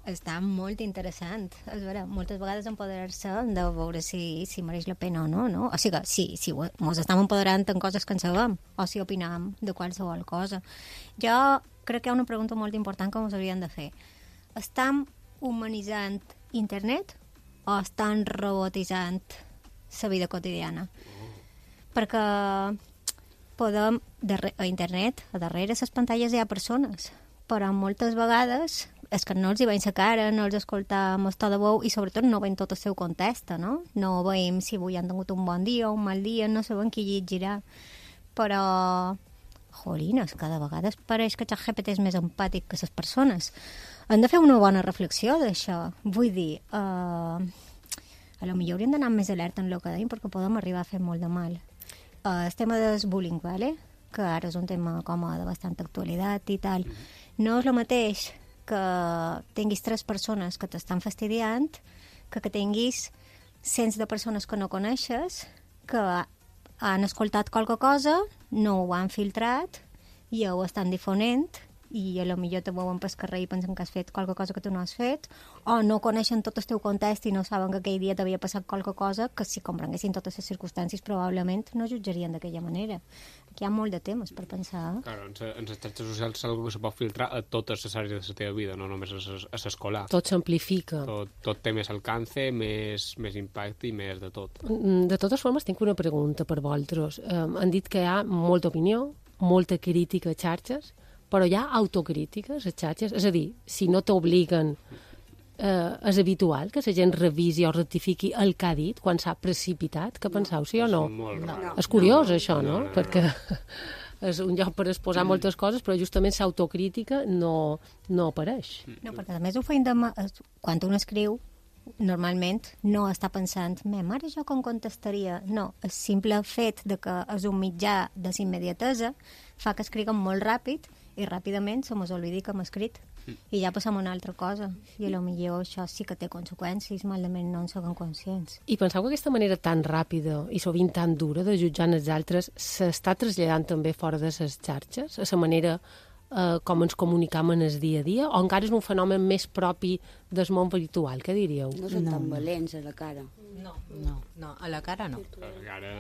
està molt interessant. És vera, moltes vegades empoderar-se hem de veure si mereix la pena o no, no? O sigui que si ens estem empoderant en coses que en sabem, o si opinem de qualsevol cosa. Jo crec que hi ha una pregunta molt important que ens hauríem de fer. Estem humanitzant internet o estan robotitzant la vida quotidiana? Perquè podem, a internet, a darrere les pantalles hi ha persones, però moltes vegades és que no els hi veiem la cara, no els escoltem el to de veu i sobretot no veiem tot el seu context, no? No veiem si avui han tingut un bon dia o un mal dia, no sabem qui llegirà. Però, jolines, cada vegada pareix que ChatGPT és més empàtic que les persones. Hem de fer una bona reflexió d'això. Vull dir, a lo millor hauríem d'anar més alerta en el que deim perquè podem arribar a fer molt de mal. El tema del bullying, ¿vale? Que ara és un tema com de bastanta actualitat i tal. No és el mateix que tinguis 3 persones que t'estan fastidiant que tinguis cents de persones que no coneixes que han escoltat qualque cosa, no ho han filtrat i ho estan difonent i a lo millor te veuen pel carrer i pensen que has fet qualque cosa que tu no has fet, o no coneixen tot el teu context i no saben que aquell dia t'havia passat qualque cosa que si comprenguessin totes les circumstàncies probablement no jutjarien d'aquella manera. Aquí hi ha molt de temes per pensar. Claro, en les xarxes socials és una que se pot filtrar a totes les àrees de la teva vida, no només a l'escolar. Tot s'amplifica. Tot té més alcance, més impacte i més de tot. De totes formes, tinc una pregunta per vosaltres. Han dit que hi ha molta opinió, molta crítica a xarxes, però hi ha autocrítica a les xarxes? És a dir, si no t'obliguen, és habitual que la gent revisi o rectifiqui el que ha dit quan s'ha precipitat? Què penseu, sí o no? És curiós, això, no? Perquè és un lloc per exposar moltes coses, però justament l'autocrítica no apareix. No, perquè a més ho feim quan un escriu, normalment no està pensant ma mare jo com contestaria. No, el simple fet de que és un mitjà de la immediatesa fa que escriguem molt ràpid i ràpidament se mos oblidi que hem escrit i ja passem a una altra cosa i potser això sí que té conseqüències, malament no en siguem conscients. I penseu que aquesta manera tan ràpida i sovint tan dura de jutjar els altres s'està traslladant també fora de les xarxes, a la manera com ens comunicam en el dia a dia, o encara és un fenomen més propi del món virtual, què diríeu? No són tan valents a la cara. No, a la cara no. A la cara...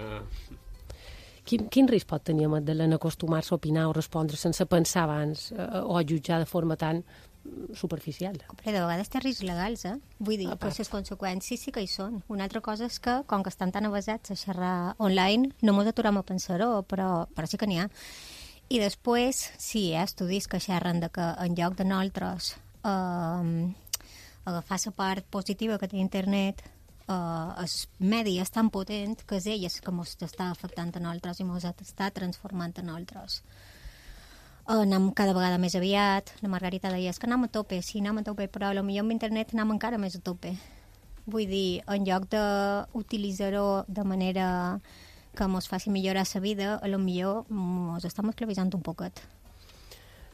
Quin risc pot tenir, Magdalena, acostumar-se a opinar o respondre sense pensar abans o a jutjar de forma tan superficial? Però de vegades té riscs legals, Vull dir, però les conseqüències sí que hi són. Una altra cosa és que, com que estan tan avasats a xerrar online, no mos aturem a pensar-ho, però sí que n'hi ha. I després, sí, hi ha estudis que xerren de que en lloc de nosaltres agafar la part positiva que té internet, el medi és tan potent que és ell que ens està afectant a nosaltres i ens està transformant a nosaltres. Anem cada vegada més aviat. La Margarita deia, que anem a tope, sí, anem a tope, però potser amb internet anem encara més a tope. Vull dir, en lloc d'utilitzar-ho de manera que ens faci millorar la vida, a lo millor ens estem esclavitzant un poquet.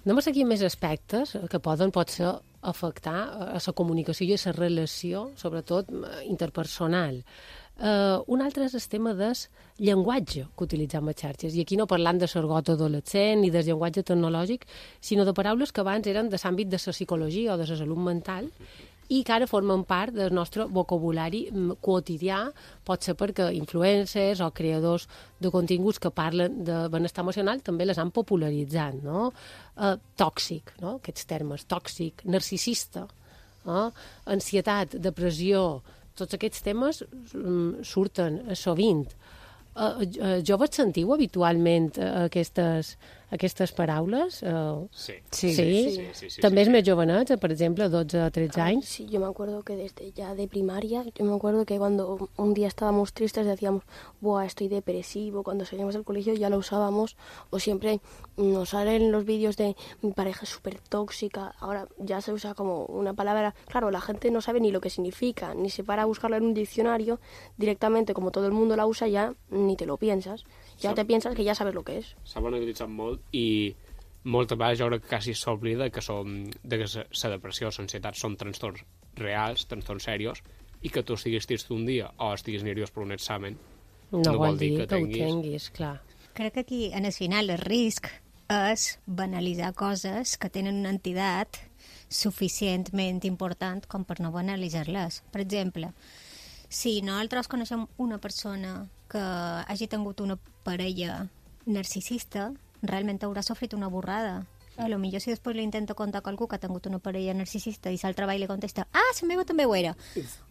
Anem a seguir més aspectes que poden potser afectar a la comunicació i a la relació, sobretot interpersonal. Un altre és el tema del llenguatge que utilitzem a xarxes. I aquí no parlant de l'argot adolescent ni del llenguatge tecnològic, sinó de paraules que abans eren de l'àmbit de la psicologia o de la salut mental i que ara formen part del nostre vocabulari quotidià, pot ser perquè influencers o creadors de continguts que parlen de benestar emocional també les han popularitzat, no? Tòxic, no? Aquests termes, tòxic, narcisista, ansietat, depressió, tots aquests temes surten sovint. Joves sentiu habitualment aquestes paraules? Sí. També és més jovenets, por ejemplo, 12 o 13 años. Sí, yo me acuerdo que desde ya de primaria, yo me acuerdo que cuando un día estábamos tristes decíamos, buah, estoy depresivo, cuando salíamos del colegio ya lo usábamos, o siempre nos salen los vídeos de mi pareja es súper tóxica, ahora ya se usa como una palabra, claro, la gente no sabe ni lo que significa, ni se para a buscarla en un diccionario, directamente como todo el mundo la usa ya, ni te lo piensas, ya te piensas que ya sabes lo que és. S'ha banalitzat molt i moltes vegades jo crec que quasi s'oblida que la depressió o l'ansietat són trastorns reals, trastorns serios, i que tu estiguis trist un dia o estiguis nerviós per un examen no vol dir que ho tinguis, clar. Crec que aquí, en el final, el risc és banalitzar coses que tenen una entitat suficientment important com per no banalitzar-les. Per exemple, si nosaltres coneixem una persona que hagi tingut una parella narcisista, realment haurà sofrit una borrada. A lo millor si després li intenta contar a algú que ha tingut una parella narcisista i l'altre va i li contesta la meva també ho era.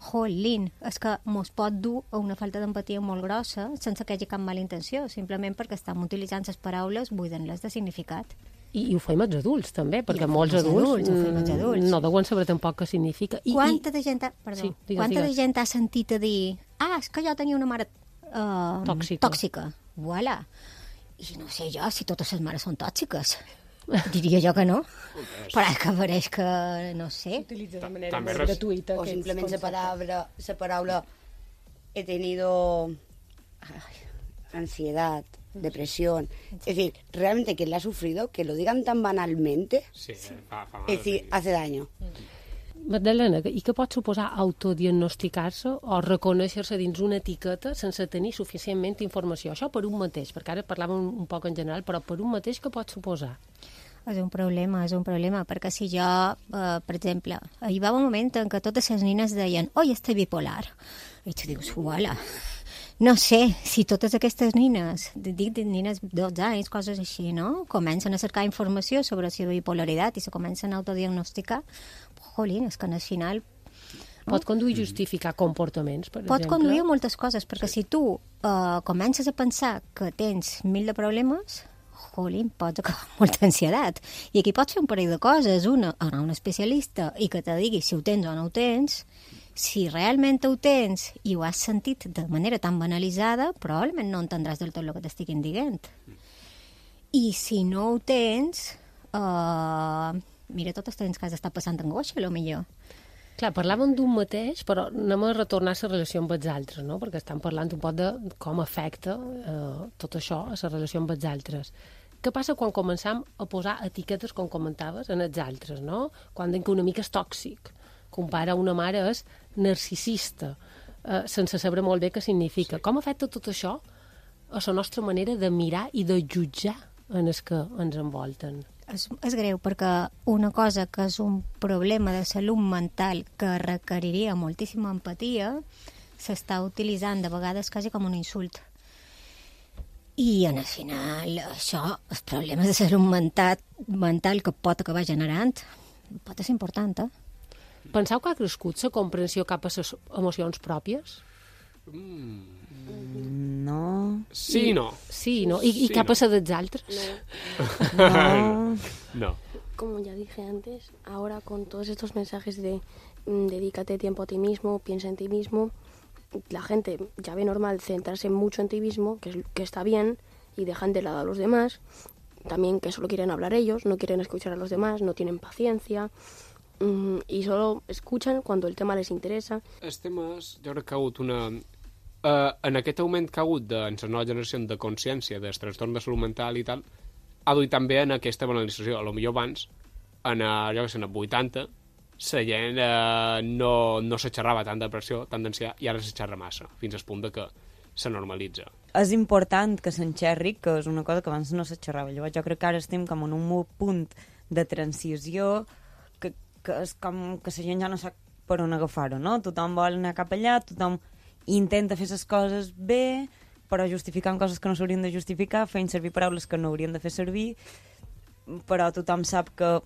Jolín, és que mos pot dur a una falta d'empatia molt grossa sense que hi hagi cap mala intenció, simplement perquè estem utilitzant les paraules buidant-les de significat. I ho fem els adults, també, perquè molts adults no deuen saber tampoc què significa. Quanta de gent ha sentit a dir és que jo tenia una mare tòxica. Voilà. I no sé jo si totes les mares són tòxiques. Diria jo que no. Però és que pareix que, no sé. S'utilitza de manera més gratuïta. O simplement la paraula he tenido ansiedad, depresión. Es decir, realmente quien la ha sufrido, que lo digan tan banalmente, es decir, hace daño. Magdalena, i què pot suposar autodiagnosticar-se o reconèixer-se dins una etiqueta sense tenir suficientment informació? Això per un mateix, perquè ara parlàvem un poc en general, però per un mateix què pot suposar? És un problema, perquè si jo, per exemple, hi va un moment en què totes les nines deien «Oi, estic bipolar». I tu dius, uala, no sé si totes aquestes nines, dic nines de 12 anys, coses així, no? Comencen a cercar informació sobre la seva bipolaritat i se comencen a autodiagnosticar. Jolín, és que al final... Pot conduir a justificar comportaments, per exemple? Pot conduir a moltes coses, perquè si tu comences a pensar que tens 1000 de problemes, jolín, pots acabar amb molta ansietat. I aquí pots fer un parell de coses. Una, anar a un especialista i que te digui si ho tens o no ho tens. Si realment ho tens i ho has sentit de manera tan banalitzada, probablement no entendràs del tot el que t'estiguin dient. I si no ho tens, mira tots els temps que has d'estar passant angoixa, potser. Clar, parlàvem d'un mateix, però anem a retornar a la relació amb els altres, no? Perquè estem parlant un poc de com afecta tot això a la relació amb els altres. Què passa quan començam a posar etiquetes, com comentaves, en els altres, no? Quan dic que una mica és tòxic, compara una mare és narcisista, sense saber molt bé què significa. Com afecta tot això a la nostra manera de mirar i de jutjar en els que ens envolten? És greu, perquè una cosa que és un problema de salut mental que requeriria moltíssima empatia s'està utilitzant de vegades quasi com un insult. I al final això, els problemes de salut mental que pot acabar generant, pot ser important, Penseu que ha crescut la comprensió cap a les emocions pròpies? No. Sí i no. Sí i no. I cap a les dels altres? No. Como ya dije antes, ahora con todos estos mensajes de dedícate tiempo a ti mismo, piensa en ti mismo, la gente ya ve normal centrarse mucho en ti mismo, que está bien, y dejan de lado a los demás. También que solo quieren hablar ellos, no quieren escuchar a los demás, no tienen paciencia, i solo escuchan cuando el tema les interessa. Els temes, jo crec que ha hagut una... en aquest augment que ha hagut en les noves generacions de consciència dels trastorns de salut mental i tal, ha duit també en aquesta banalització. A lo millor abans, en allò que són els 80, la gent no se xerrava tant de depressió, tant d'ancià, i ara se xerra massa, fins al punt de que se normalitza. És important que s'enxerri, que és una cosa que abans no se xerrava. Llavors jo crec que ara estem com en un punt de transició que és com que la gent ja no sap per on agafar-ho, no? Tothom vol anar cap allà, tothom intenta fer les coses bé, però justificant coses que no s'haurien de justificar, fent servir paraules que no haurien de fer servir, però tothom sap que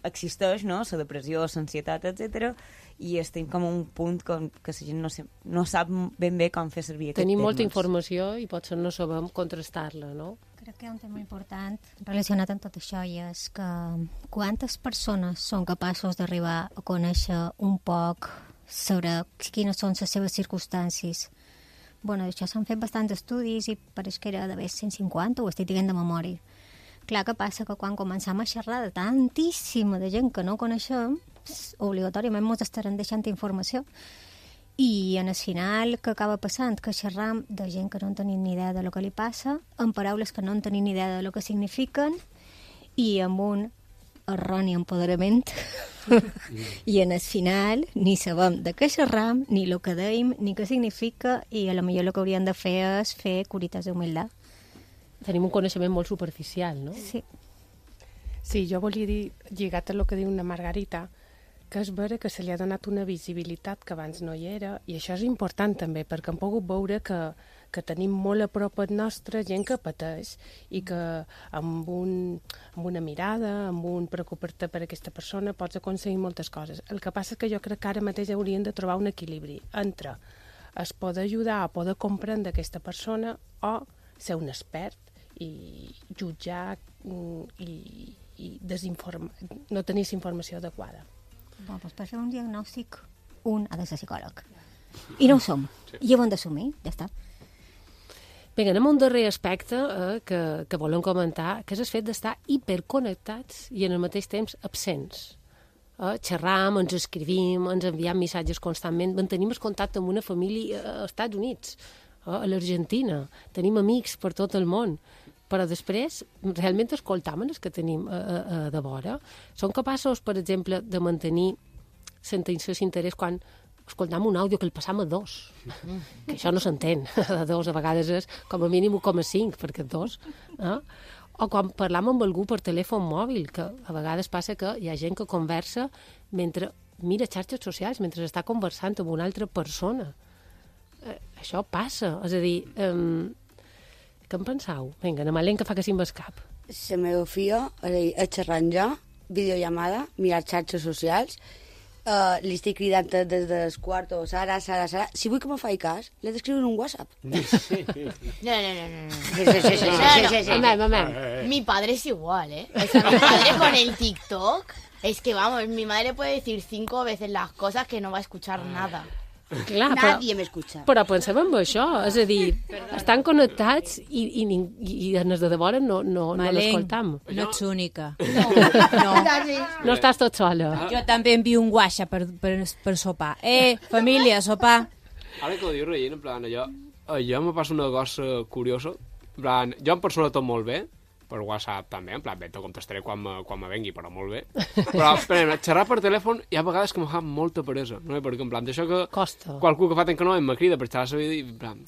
existeix, no?, la depressió, l'ansietat, etc. I estem com un punt que la gent no sap ben bé com fer servir aquests Tenim termes. molta informació i potser no sabem contrastar-la, no? Crec que hi ha un tema important relacionat amb tot això i és que quantes persones són capaços d'arribar a conèixer un poc sobre quines són les seves circumstàncies. Bueno, això s'han fet bastants estudis i pareix que era d'haver 150, ho estic dient de memòria. Clar que passa que quan començam a xerrar de tantíssima de gent que no coneixem, obligatòriament ens estaran deixant informació. I en el final que acaba passant? Que xerram de gent que no en tenim ni idea de lo que li passa, amb paraules que no en tenim ni idea de lo que signifiquen i amb un erroni empoderament. I en el final ni sabem de què xerram, ni el que deim, ni què significa, i a lo millor el que hauríem de fer és fer curites d'humilitat. Tenim un coneixement molt superficial, no? Sí. Sí, jo volia dir, lligat a el que diu una Margarita, que és vera que se li ha donat una visibilitat que abans no hi era, i això és important també, perquè hem pogut veure que tenim molt a prop nostre gent que pateix i que amb una mirada, amb un preocupar-te per aquesta persona pots aconseguir moltes coses. El que passa és que jo crec que ara mateix hauríem de trobar un equilibri entre es poder ajudar a poder comprendre aquesta persona o ser un expert i jutjar i no tenir informació adequada. Bon, doncs per fer un diagnòstic, un ha de ser psicòleg. I no ho som. Sí. I ho hem d'assumir, ja està. Vinga, anem a un darrer aspecte que volem comentar, que és el fet d'estar hiperconnectats i en el mateix temps absents. Xerram, ens escrivim, ens enviem missatges constantment, mantenim el contacte amb una família als Estats Units, a l'Argentina, tenim amics per tot el món, però després realment escoltam els que tenim de vora. Són capaços, per exemple, de mantenir l'atenció i l'interès quan escoltam un àudio que el passam a 2, que això no s'entén, a 2 a vegades és com a mínim 1,5 perquè 2, o quan parlam amb algú per telèfon mòbil, que a vegades passa que hi ha gent que conversa mentre mira xarxes socials, mentre està conversant amb una altra persona. Això passa, és a dir, què en penseu? Vinga, anem a l'en que fa que s'hi amb el cap. La meva filla, a xerrant jo, videollamada, mirar xarxes socials, li estic cridant des del quarto, Sara, si vull que me faci cas, l'he d'escriure en un WhatsApp. No. Mi padre es igual, ¿eh? O sea, mi padre con el TikTok, es que vamos, mi madre puede decir 5 veces las cosas que no va a escuchar nada. Clar, Nadie m'escucha. Però pensem en això, és a dir, estan connectats i en els de devora no l'escoltam. No ets única. No estàs tot sola. Jo també envio un WhatsApp per sopar. Família, sopar. Ara que ho dius, Regina, en plan, allò me passa una cosa curiosa. En plan, jo em persona tot molt bé, per WhatsApp també, en plan, bé, te contestaré quan me vengui, però molt bé. Però, xerrar per telèfon hi ha vegades que me fa molta peresa, no? Perquè, en plan, d'això que... Costa. Qualcú que fa temps que no em crida per xerrar la vida i, en plan...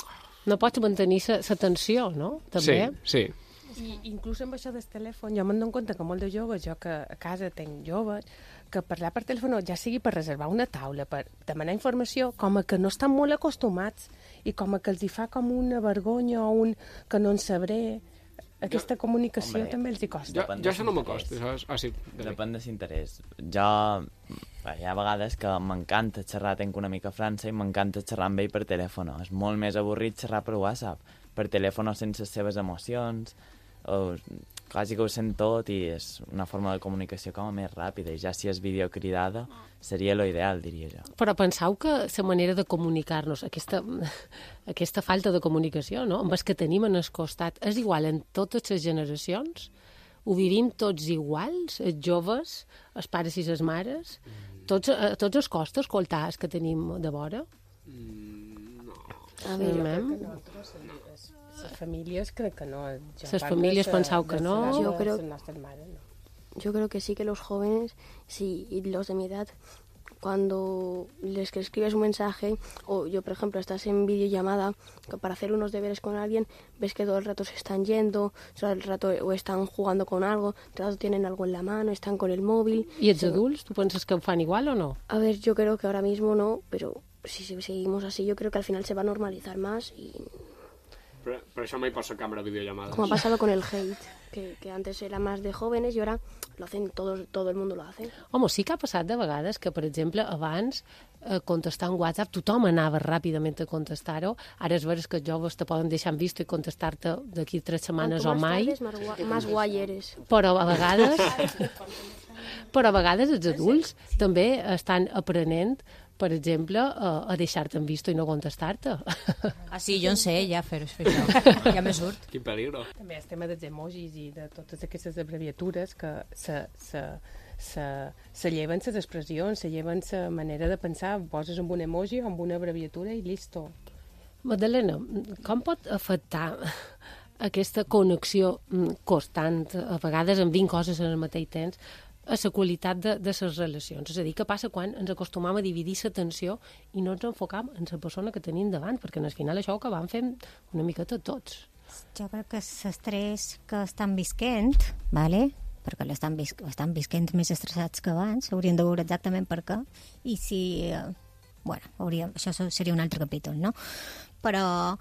No pots mantenir l'atenció, no? També. Sí. I inclús amb això del telèfon, jo me'n dono compte que molt de joves, jo que a casa tenc joves, que parlar per telèfon, ja sigui per reservar una taula, per demanar informació, com a que no estan molt acostumats i com a que els hi fa com una vergonya o que no en sabré... Aquesta comunicació també els hi costa. Jo això no m'acosta. Sí, depèn de l'interès. Jo, hi ha vegades que m'encanta xerrar, tenc una mica a França i m'encanta xerrar amb ell per telèfon. És molt més avorrit xerrar per WhatsApp. Per telèfon sense les seves emocions. quasi que ho sent tot i és una forma de comunicació com a més ràpida, i ja si és videocridada seria lo ideal, diria jo. Però penseu que la manera de comunicar-nos, aquesta falta de comunicació, no?, amb els que tenim en el costat, és igual en totes les generacions? Ho vivim tots iguals, els joves, els pares i les mares? Tots els costa escoltar els que tenim de vora? A veure, les famílies crec que no. Les famílies penseu que no? Yo creo que sí, que los jóvenes, sí, y los de mi edad, cuando les escribes un mensaje, o yo, por ejemplo, estás en videollamada, que para hacer unos deberes con alguien, ves que todo el rato se están yendo, todo el rato o están jugando con algo, todo el rato tienen algo en la mano, están con el móvil. ¿Y els adults? ¿Tú piensas que ho fan igual o no? A ver, yo creo que ahora mismo no, pero si seguimos así, yo creo que al final se va a normalizar más y... Pero això mai pot ser càmera videollamada. Como ha pasado con el hate, que antes era más de jóvenes y ahora lo hacen todo el mundo lo hace. Home, sí que ha passat de vegades que, per exemple, abans contestar un WhatsApp, tothom anava ràpidament a contestar-ho. Ara és veres que els joves te poden deixar en vist i contestar-te d'aquí 3 setmanes o mai. Más guai eres. Però a vegades els adults també estan aprenent, per exemple, a deixar-te en vist i no contestar-te. Ah, sí, jo en sé, ja fer això. Ja me surt. Quin peligro. També el tema dels emojis i de totes aquestes abreviatures que se lleven les expressions, se lleven la manera de pensar, poses amb un emoji o amb una abreviatura i listo. Madalena, com pot afectar aquesta connexió constant, a vegades amb 20 coses al mateix temps, a la qualitat de les relacions? És a dir, què passa quan ens acostumam a dividir l'atenció i no ens enfocam en la persona que tenim davant? Perquè al final això ho acabam fent una miqueta tots. Jo crec que l'estrès que estan visquent, vale? Perquè estan visquent més estressats que abans, hauríem de veure exactament per què, i si... això seria un altre capítol, no? Però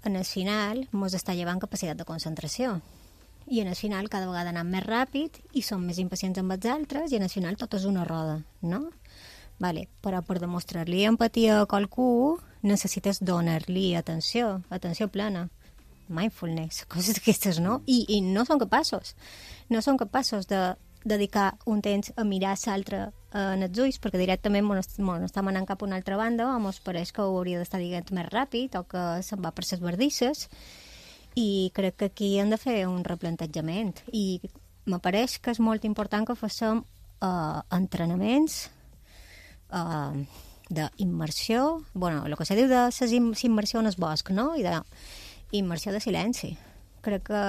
en el final ens està llevant capacitat de concentració. I en el final cada vegada anem més ràpid i som més impacients amb els altres i en el final tot és una roda, no? Vale, però per demostrar-li empatia a qualcú necessites donar-li atenció plena, mindfulness, coses d'aquestes, no? I no són capaços. No són capaços de dedicar un temps a mirar l'altre en els ulls, perquè directament estem anant cap a una altra banda o ens pareix que ho hauria d'estar dient més ràpid o que se'n va per les bardisses. I crec que aquí hem de fer un replantejament i m'apareix que és molt important que facem entrenaments d'immersió, el que se diu de immersió en el bosc, no? I d'immersió de silenci. Crec que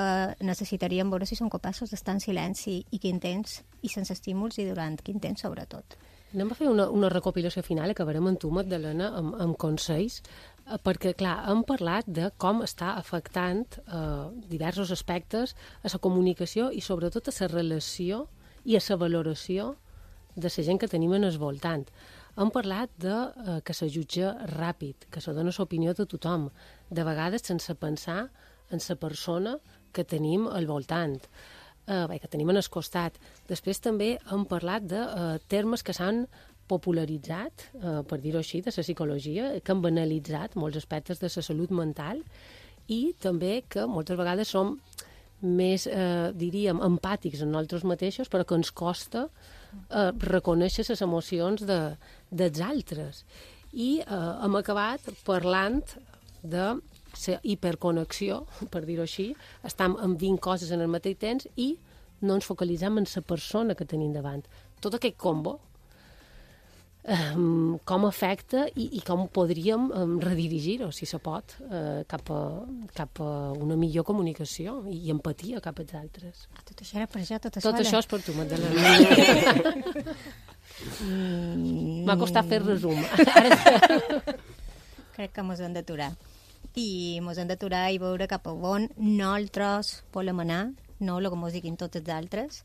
necessitaríem veure si som capaços d'estar en silenci i quin temps, i sense estímuls i durant quin temps, sobretot. Anem a fer una recopilació final, acabarem amb tu, Magdalena, amb consells, perquè, clar, hem parlat de com està afectant diversos aspectes a la comunicació i sobretot a la relació i a la valoració de la gent que tenim en el voltant. Hem parlat de que se jutja ràpid, que se dona l'opinió de tothom, de vegades sense pensar en la persona que tenim al voltant, que tenim en el costat. Després també hem parlat de termes que s'han popularitzat, per dir-ho així, de la psicologia, que han banalitzat molts aspectes de la salut mental i també que moltes vegades som més, diríem, empàtics en nosaltres mateixos, però que ens costa reconèixer les emocions dels altres. I hem acabat parlant de la hiperconnexió, per dir-ho així, estem amb 20 coses en el mateix temps i no ens focalitzem en la persona que tenim davant. Tot aquest combo com afecta i com podríem redirigir-ho, si se pot, cap a una millor comunicació i empatia cap als altres. Tot això era per jo, tot això és per tu, Magdalena. M'ha costat fer resum. Crec que ens hem d'aturar. I ens hem d'aturar i veure cap a on nosaltres volem anar, no el que ens diguin tots els altres,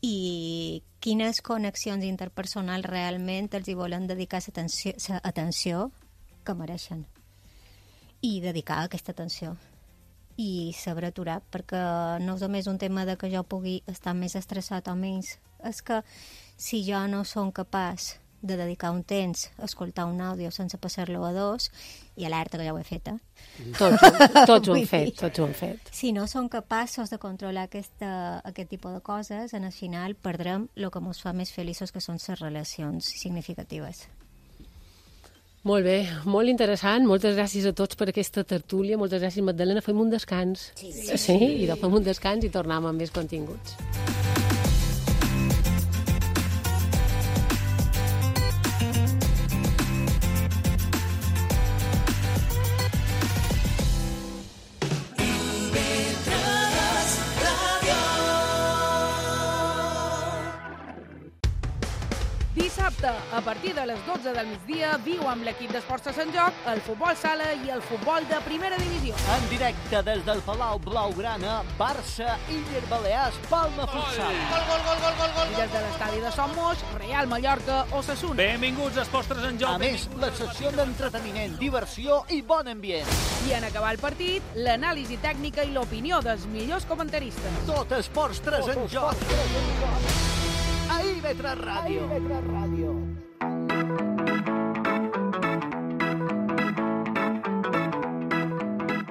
i quines connexions interpersonals realment els hi volen dedicar l'atenció que mereixen. I dedicar aquesta atenció. I saber aturar, perquè no és només un tema de que jo pugui estar més estressat o menys. És que si jo no som capaç de dedicar un temps a escoltar un àudio sense passar-lo a dos, i alerta que ja ho he fet, Tots ho hem fet. Si no som capaços de controlar aquest tipus de coses, en el final perdrem el que ens fa més feliços, que són les relacions significatives. Molt bé, molt interessant. Moltes gràcies a tots per aquesta tertúlia. Moltes gràcies, Magdalena. Fem un descans. Sí, i fem un descans i tornem amb més continguts. Dissabte, a partir de les 12 del migdia, viu amb l'equip d'Esports de Sant Joc el futbol sala i el futbol de primera divisió. En directe des del Palau Blaugrana, Barça, Iller Balears, Palma Futsal. I des de l'estadi de Son Moix, Real Mallorca, Osasuna. Benvinguts a Esports de Sant Joc. A més, la secció d'entreteniment, diversió i bon ambient. I en acabar el partit, l'anàlisi tècnica i l'opinió dels millors comentaristes. Tot Esports 3 en Joc. A IB3 Ràdio.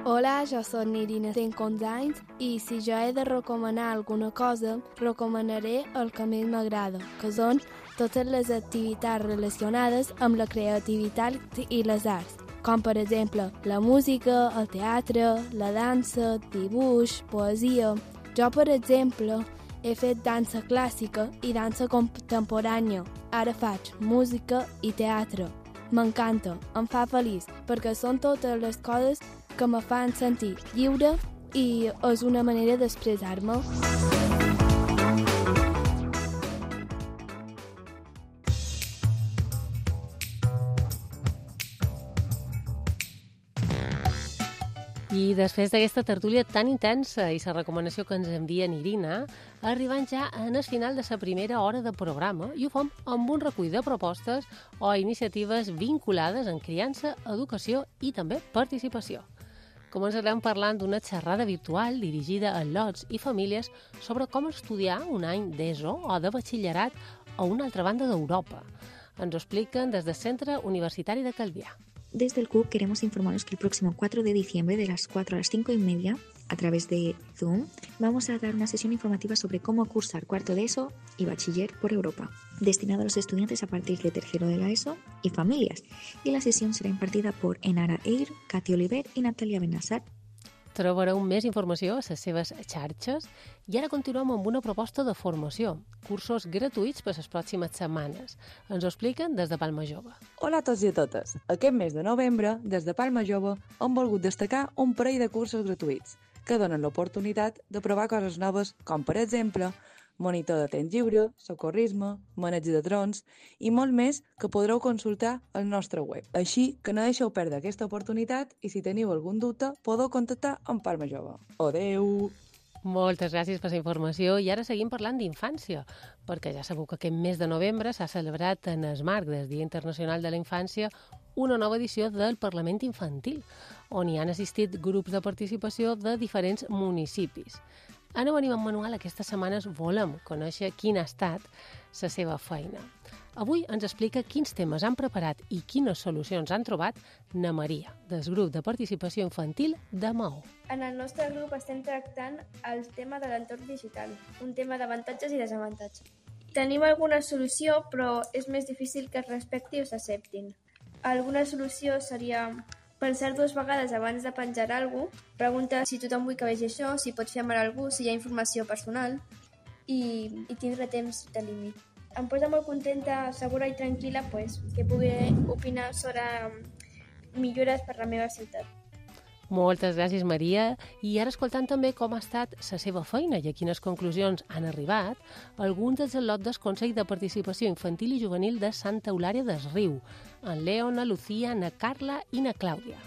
Hola, jo soc Nirina, tinc 11 anys i si jo he de recomanar alguna cosa, recomanaré el que més m'agrada, que són totes les activitats relacionades amb la creativitat i les arts, com per exemple la música, el teatre, la dansa, dibuix, poesia. Jo, per exemple, he fet dansa clàssica i dansa contemporània. Ara faig música i teatre. M'encanta, em fa feliç, perquè són totes les coses que me fan sentir lliure i és una manera d'expressar-me. I després d'aquesta tertúlia tan intensa i la recomanació que ens envia Nirina, arribant ja en el final de la primera hora de programa i ho fem amb un recull de propostes o iniciatives vinculades en criança, educació i també participació. Començarem parlant d'una xerrada virtual dirigida a lots i famílies sobre com estudiar un any d'ESO o de batxillerat a una altra banda d'Europa. Ens ho expliquen des del Centre Universitari de Calvià. Desde el CUC queremos informaros que el próximo 4 de diciembre de las 4 a las 5:30, a través de Zoom, vamos a dar una sesión informativa sobre cómo cursar cuarto de ESO y bachiller por Europa, destinado a los estudiantes a partir de tercero de la ESO y familias. Y la sesión será impartida por Enara Eir, Katy Oliver y Natalia Benassar. Trobareu més informació a les seves xarxes i ara continuem amb una proposta de formació, cursos gratuïts per les pròximes setmanes. Ens ho expliquen des de Palma Jove. Hola a tots i a totes. Aquest mes de novembre, des de Palma Jove, hem volgut destacar un parell de cursos gratuïts que donen l'oportunitat de provar coses noves com, per exemple, monitor de temps lliure, socorrisme, maneig de drons i molt més que podreu consultar al nostre web. Així que no deixeu perdre aquesta oportunitat i si teniu algun dubte podeu contactar amb Palma Jove. Adeu! Moltes gràcies per la informació i ara seguim parlant d'infància, perquè ja sabeu que aquest mes de novembre s'ha celebrat en el marc del Dia Internacional de la Infància una nova edició del Parlament Infantil, on hi han assistit grups de participació de diferents municipis. En Venim amb Manual aquestes setmanes volem conèixer quina ha estat la seva feina. Avui ens explica quins temes han preparat i quines solucions han trobat na Maria, del grup de participació infantil de Maó. En el nostre grup estem tractant el tema de l'entorn digital, un tema d'avantatges i desavantatges. Tenim alguna solució, però és més difícil que es respecti o s'acceptin. Alguna solució seria pensar 2 vegades abans de penjar alguna cosa, pregunta si tothom vull que vegi això, si pots fer amb algú, si hi ha informació personal i tindre temps de límit. Em posa molt contenta, segura i tranquil·la que pugui opinar sobre millores per la meva ciutat. Moltes gràcies, Maria. I ara escoltant també com ha estat la seva feina i a quines conclusions han arribat alguns dels al·lots del Consell de Participació Infantil i Juvenil de Santa Eulària des Riu, en Leo, na Lucía, na Carla i na Clàudia.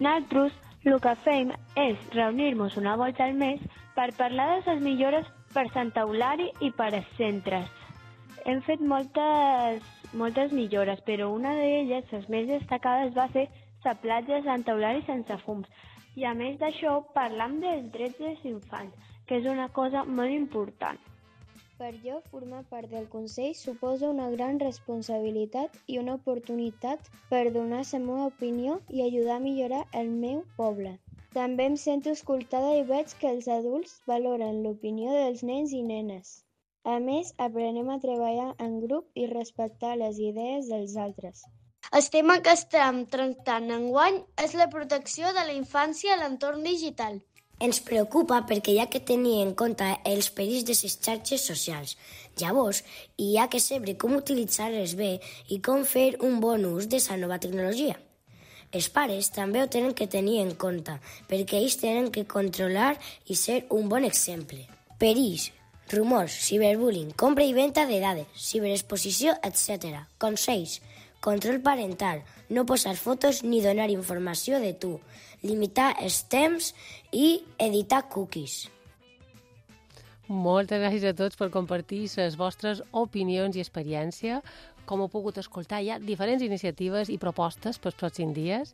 Nosaltres el que fem és reunir-nos una volta al mes per parlar de les millores per Santa Eulària i per als centres. Hem fet moltes millores, però una d'elles, les més destacades, va ser la platja de Santa Eulària sense fums. I a més d'això, parlam dels drets dels infants, que és una cosa molt important. Per jo, formar part del Consell suposa una gran responsabilitat i una oportunitat per donar la meva opinió i ajudar a millorar el meu poble. També em sento escoltada i veig que els adults valoren l'opinió dels nens i nenes. A més, aprenem a treballar en grup i respectar les idees dels altres. El tema que estem tractant enguany és la protecció de la infància a l'entorn digital. Ens preocupa perquè hi ha que tenir en compte els perills de les xarxes socials. Llavors, hi ha que saber com utilitzar-les bé i com fer un bon ús de la nova tecnologia. Els pares també ho tenen que tenir en compte, perquè ells tenen que controlar i ser un bon exemple. Perills, rumors, ciberbullying, compra i venda de dades, ciberexposició, etc. Consells, control parental, no posar fotos ni donar informació de tu, limitar els temps i editar cookies. Moltes gràcies a tots per compartir les vostres opinions i experiència. Com heu pogut escoltar, hi ha diferents iniciatives i propostes pels pròxims dies.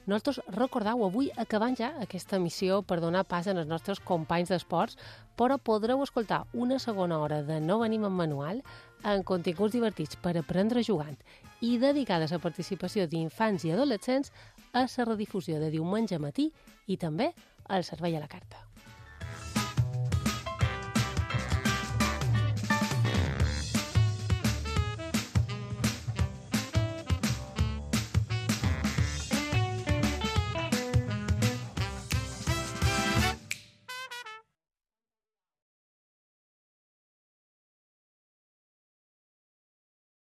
Nosaltres, recordeu, avui acabant ja aquesta missió per donar pas als nostres companys d'esports, però podreu escoltar una segona hora de No venim en manual en continguts divertits per aprendre jugant i dedicada a la participació d'infants i adolescents a la redifusió de diumenge matí i també al servei a la carta.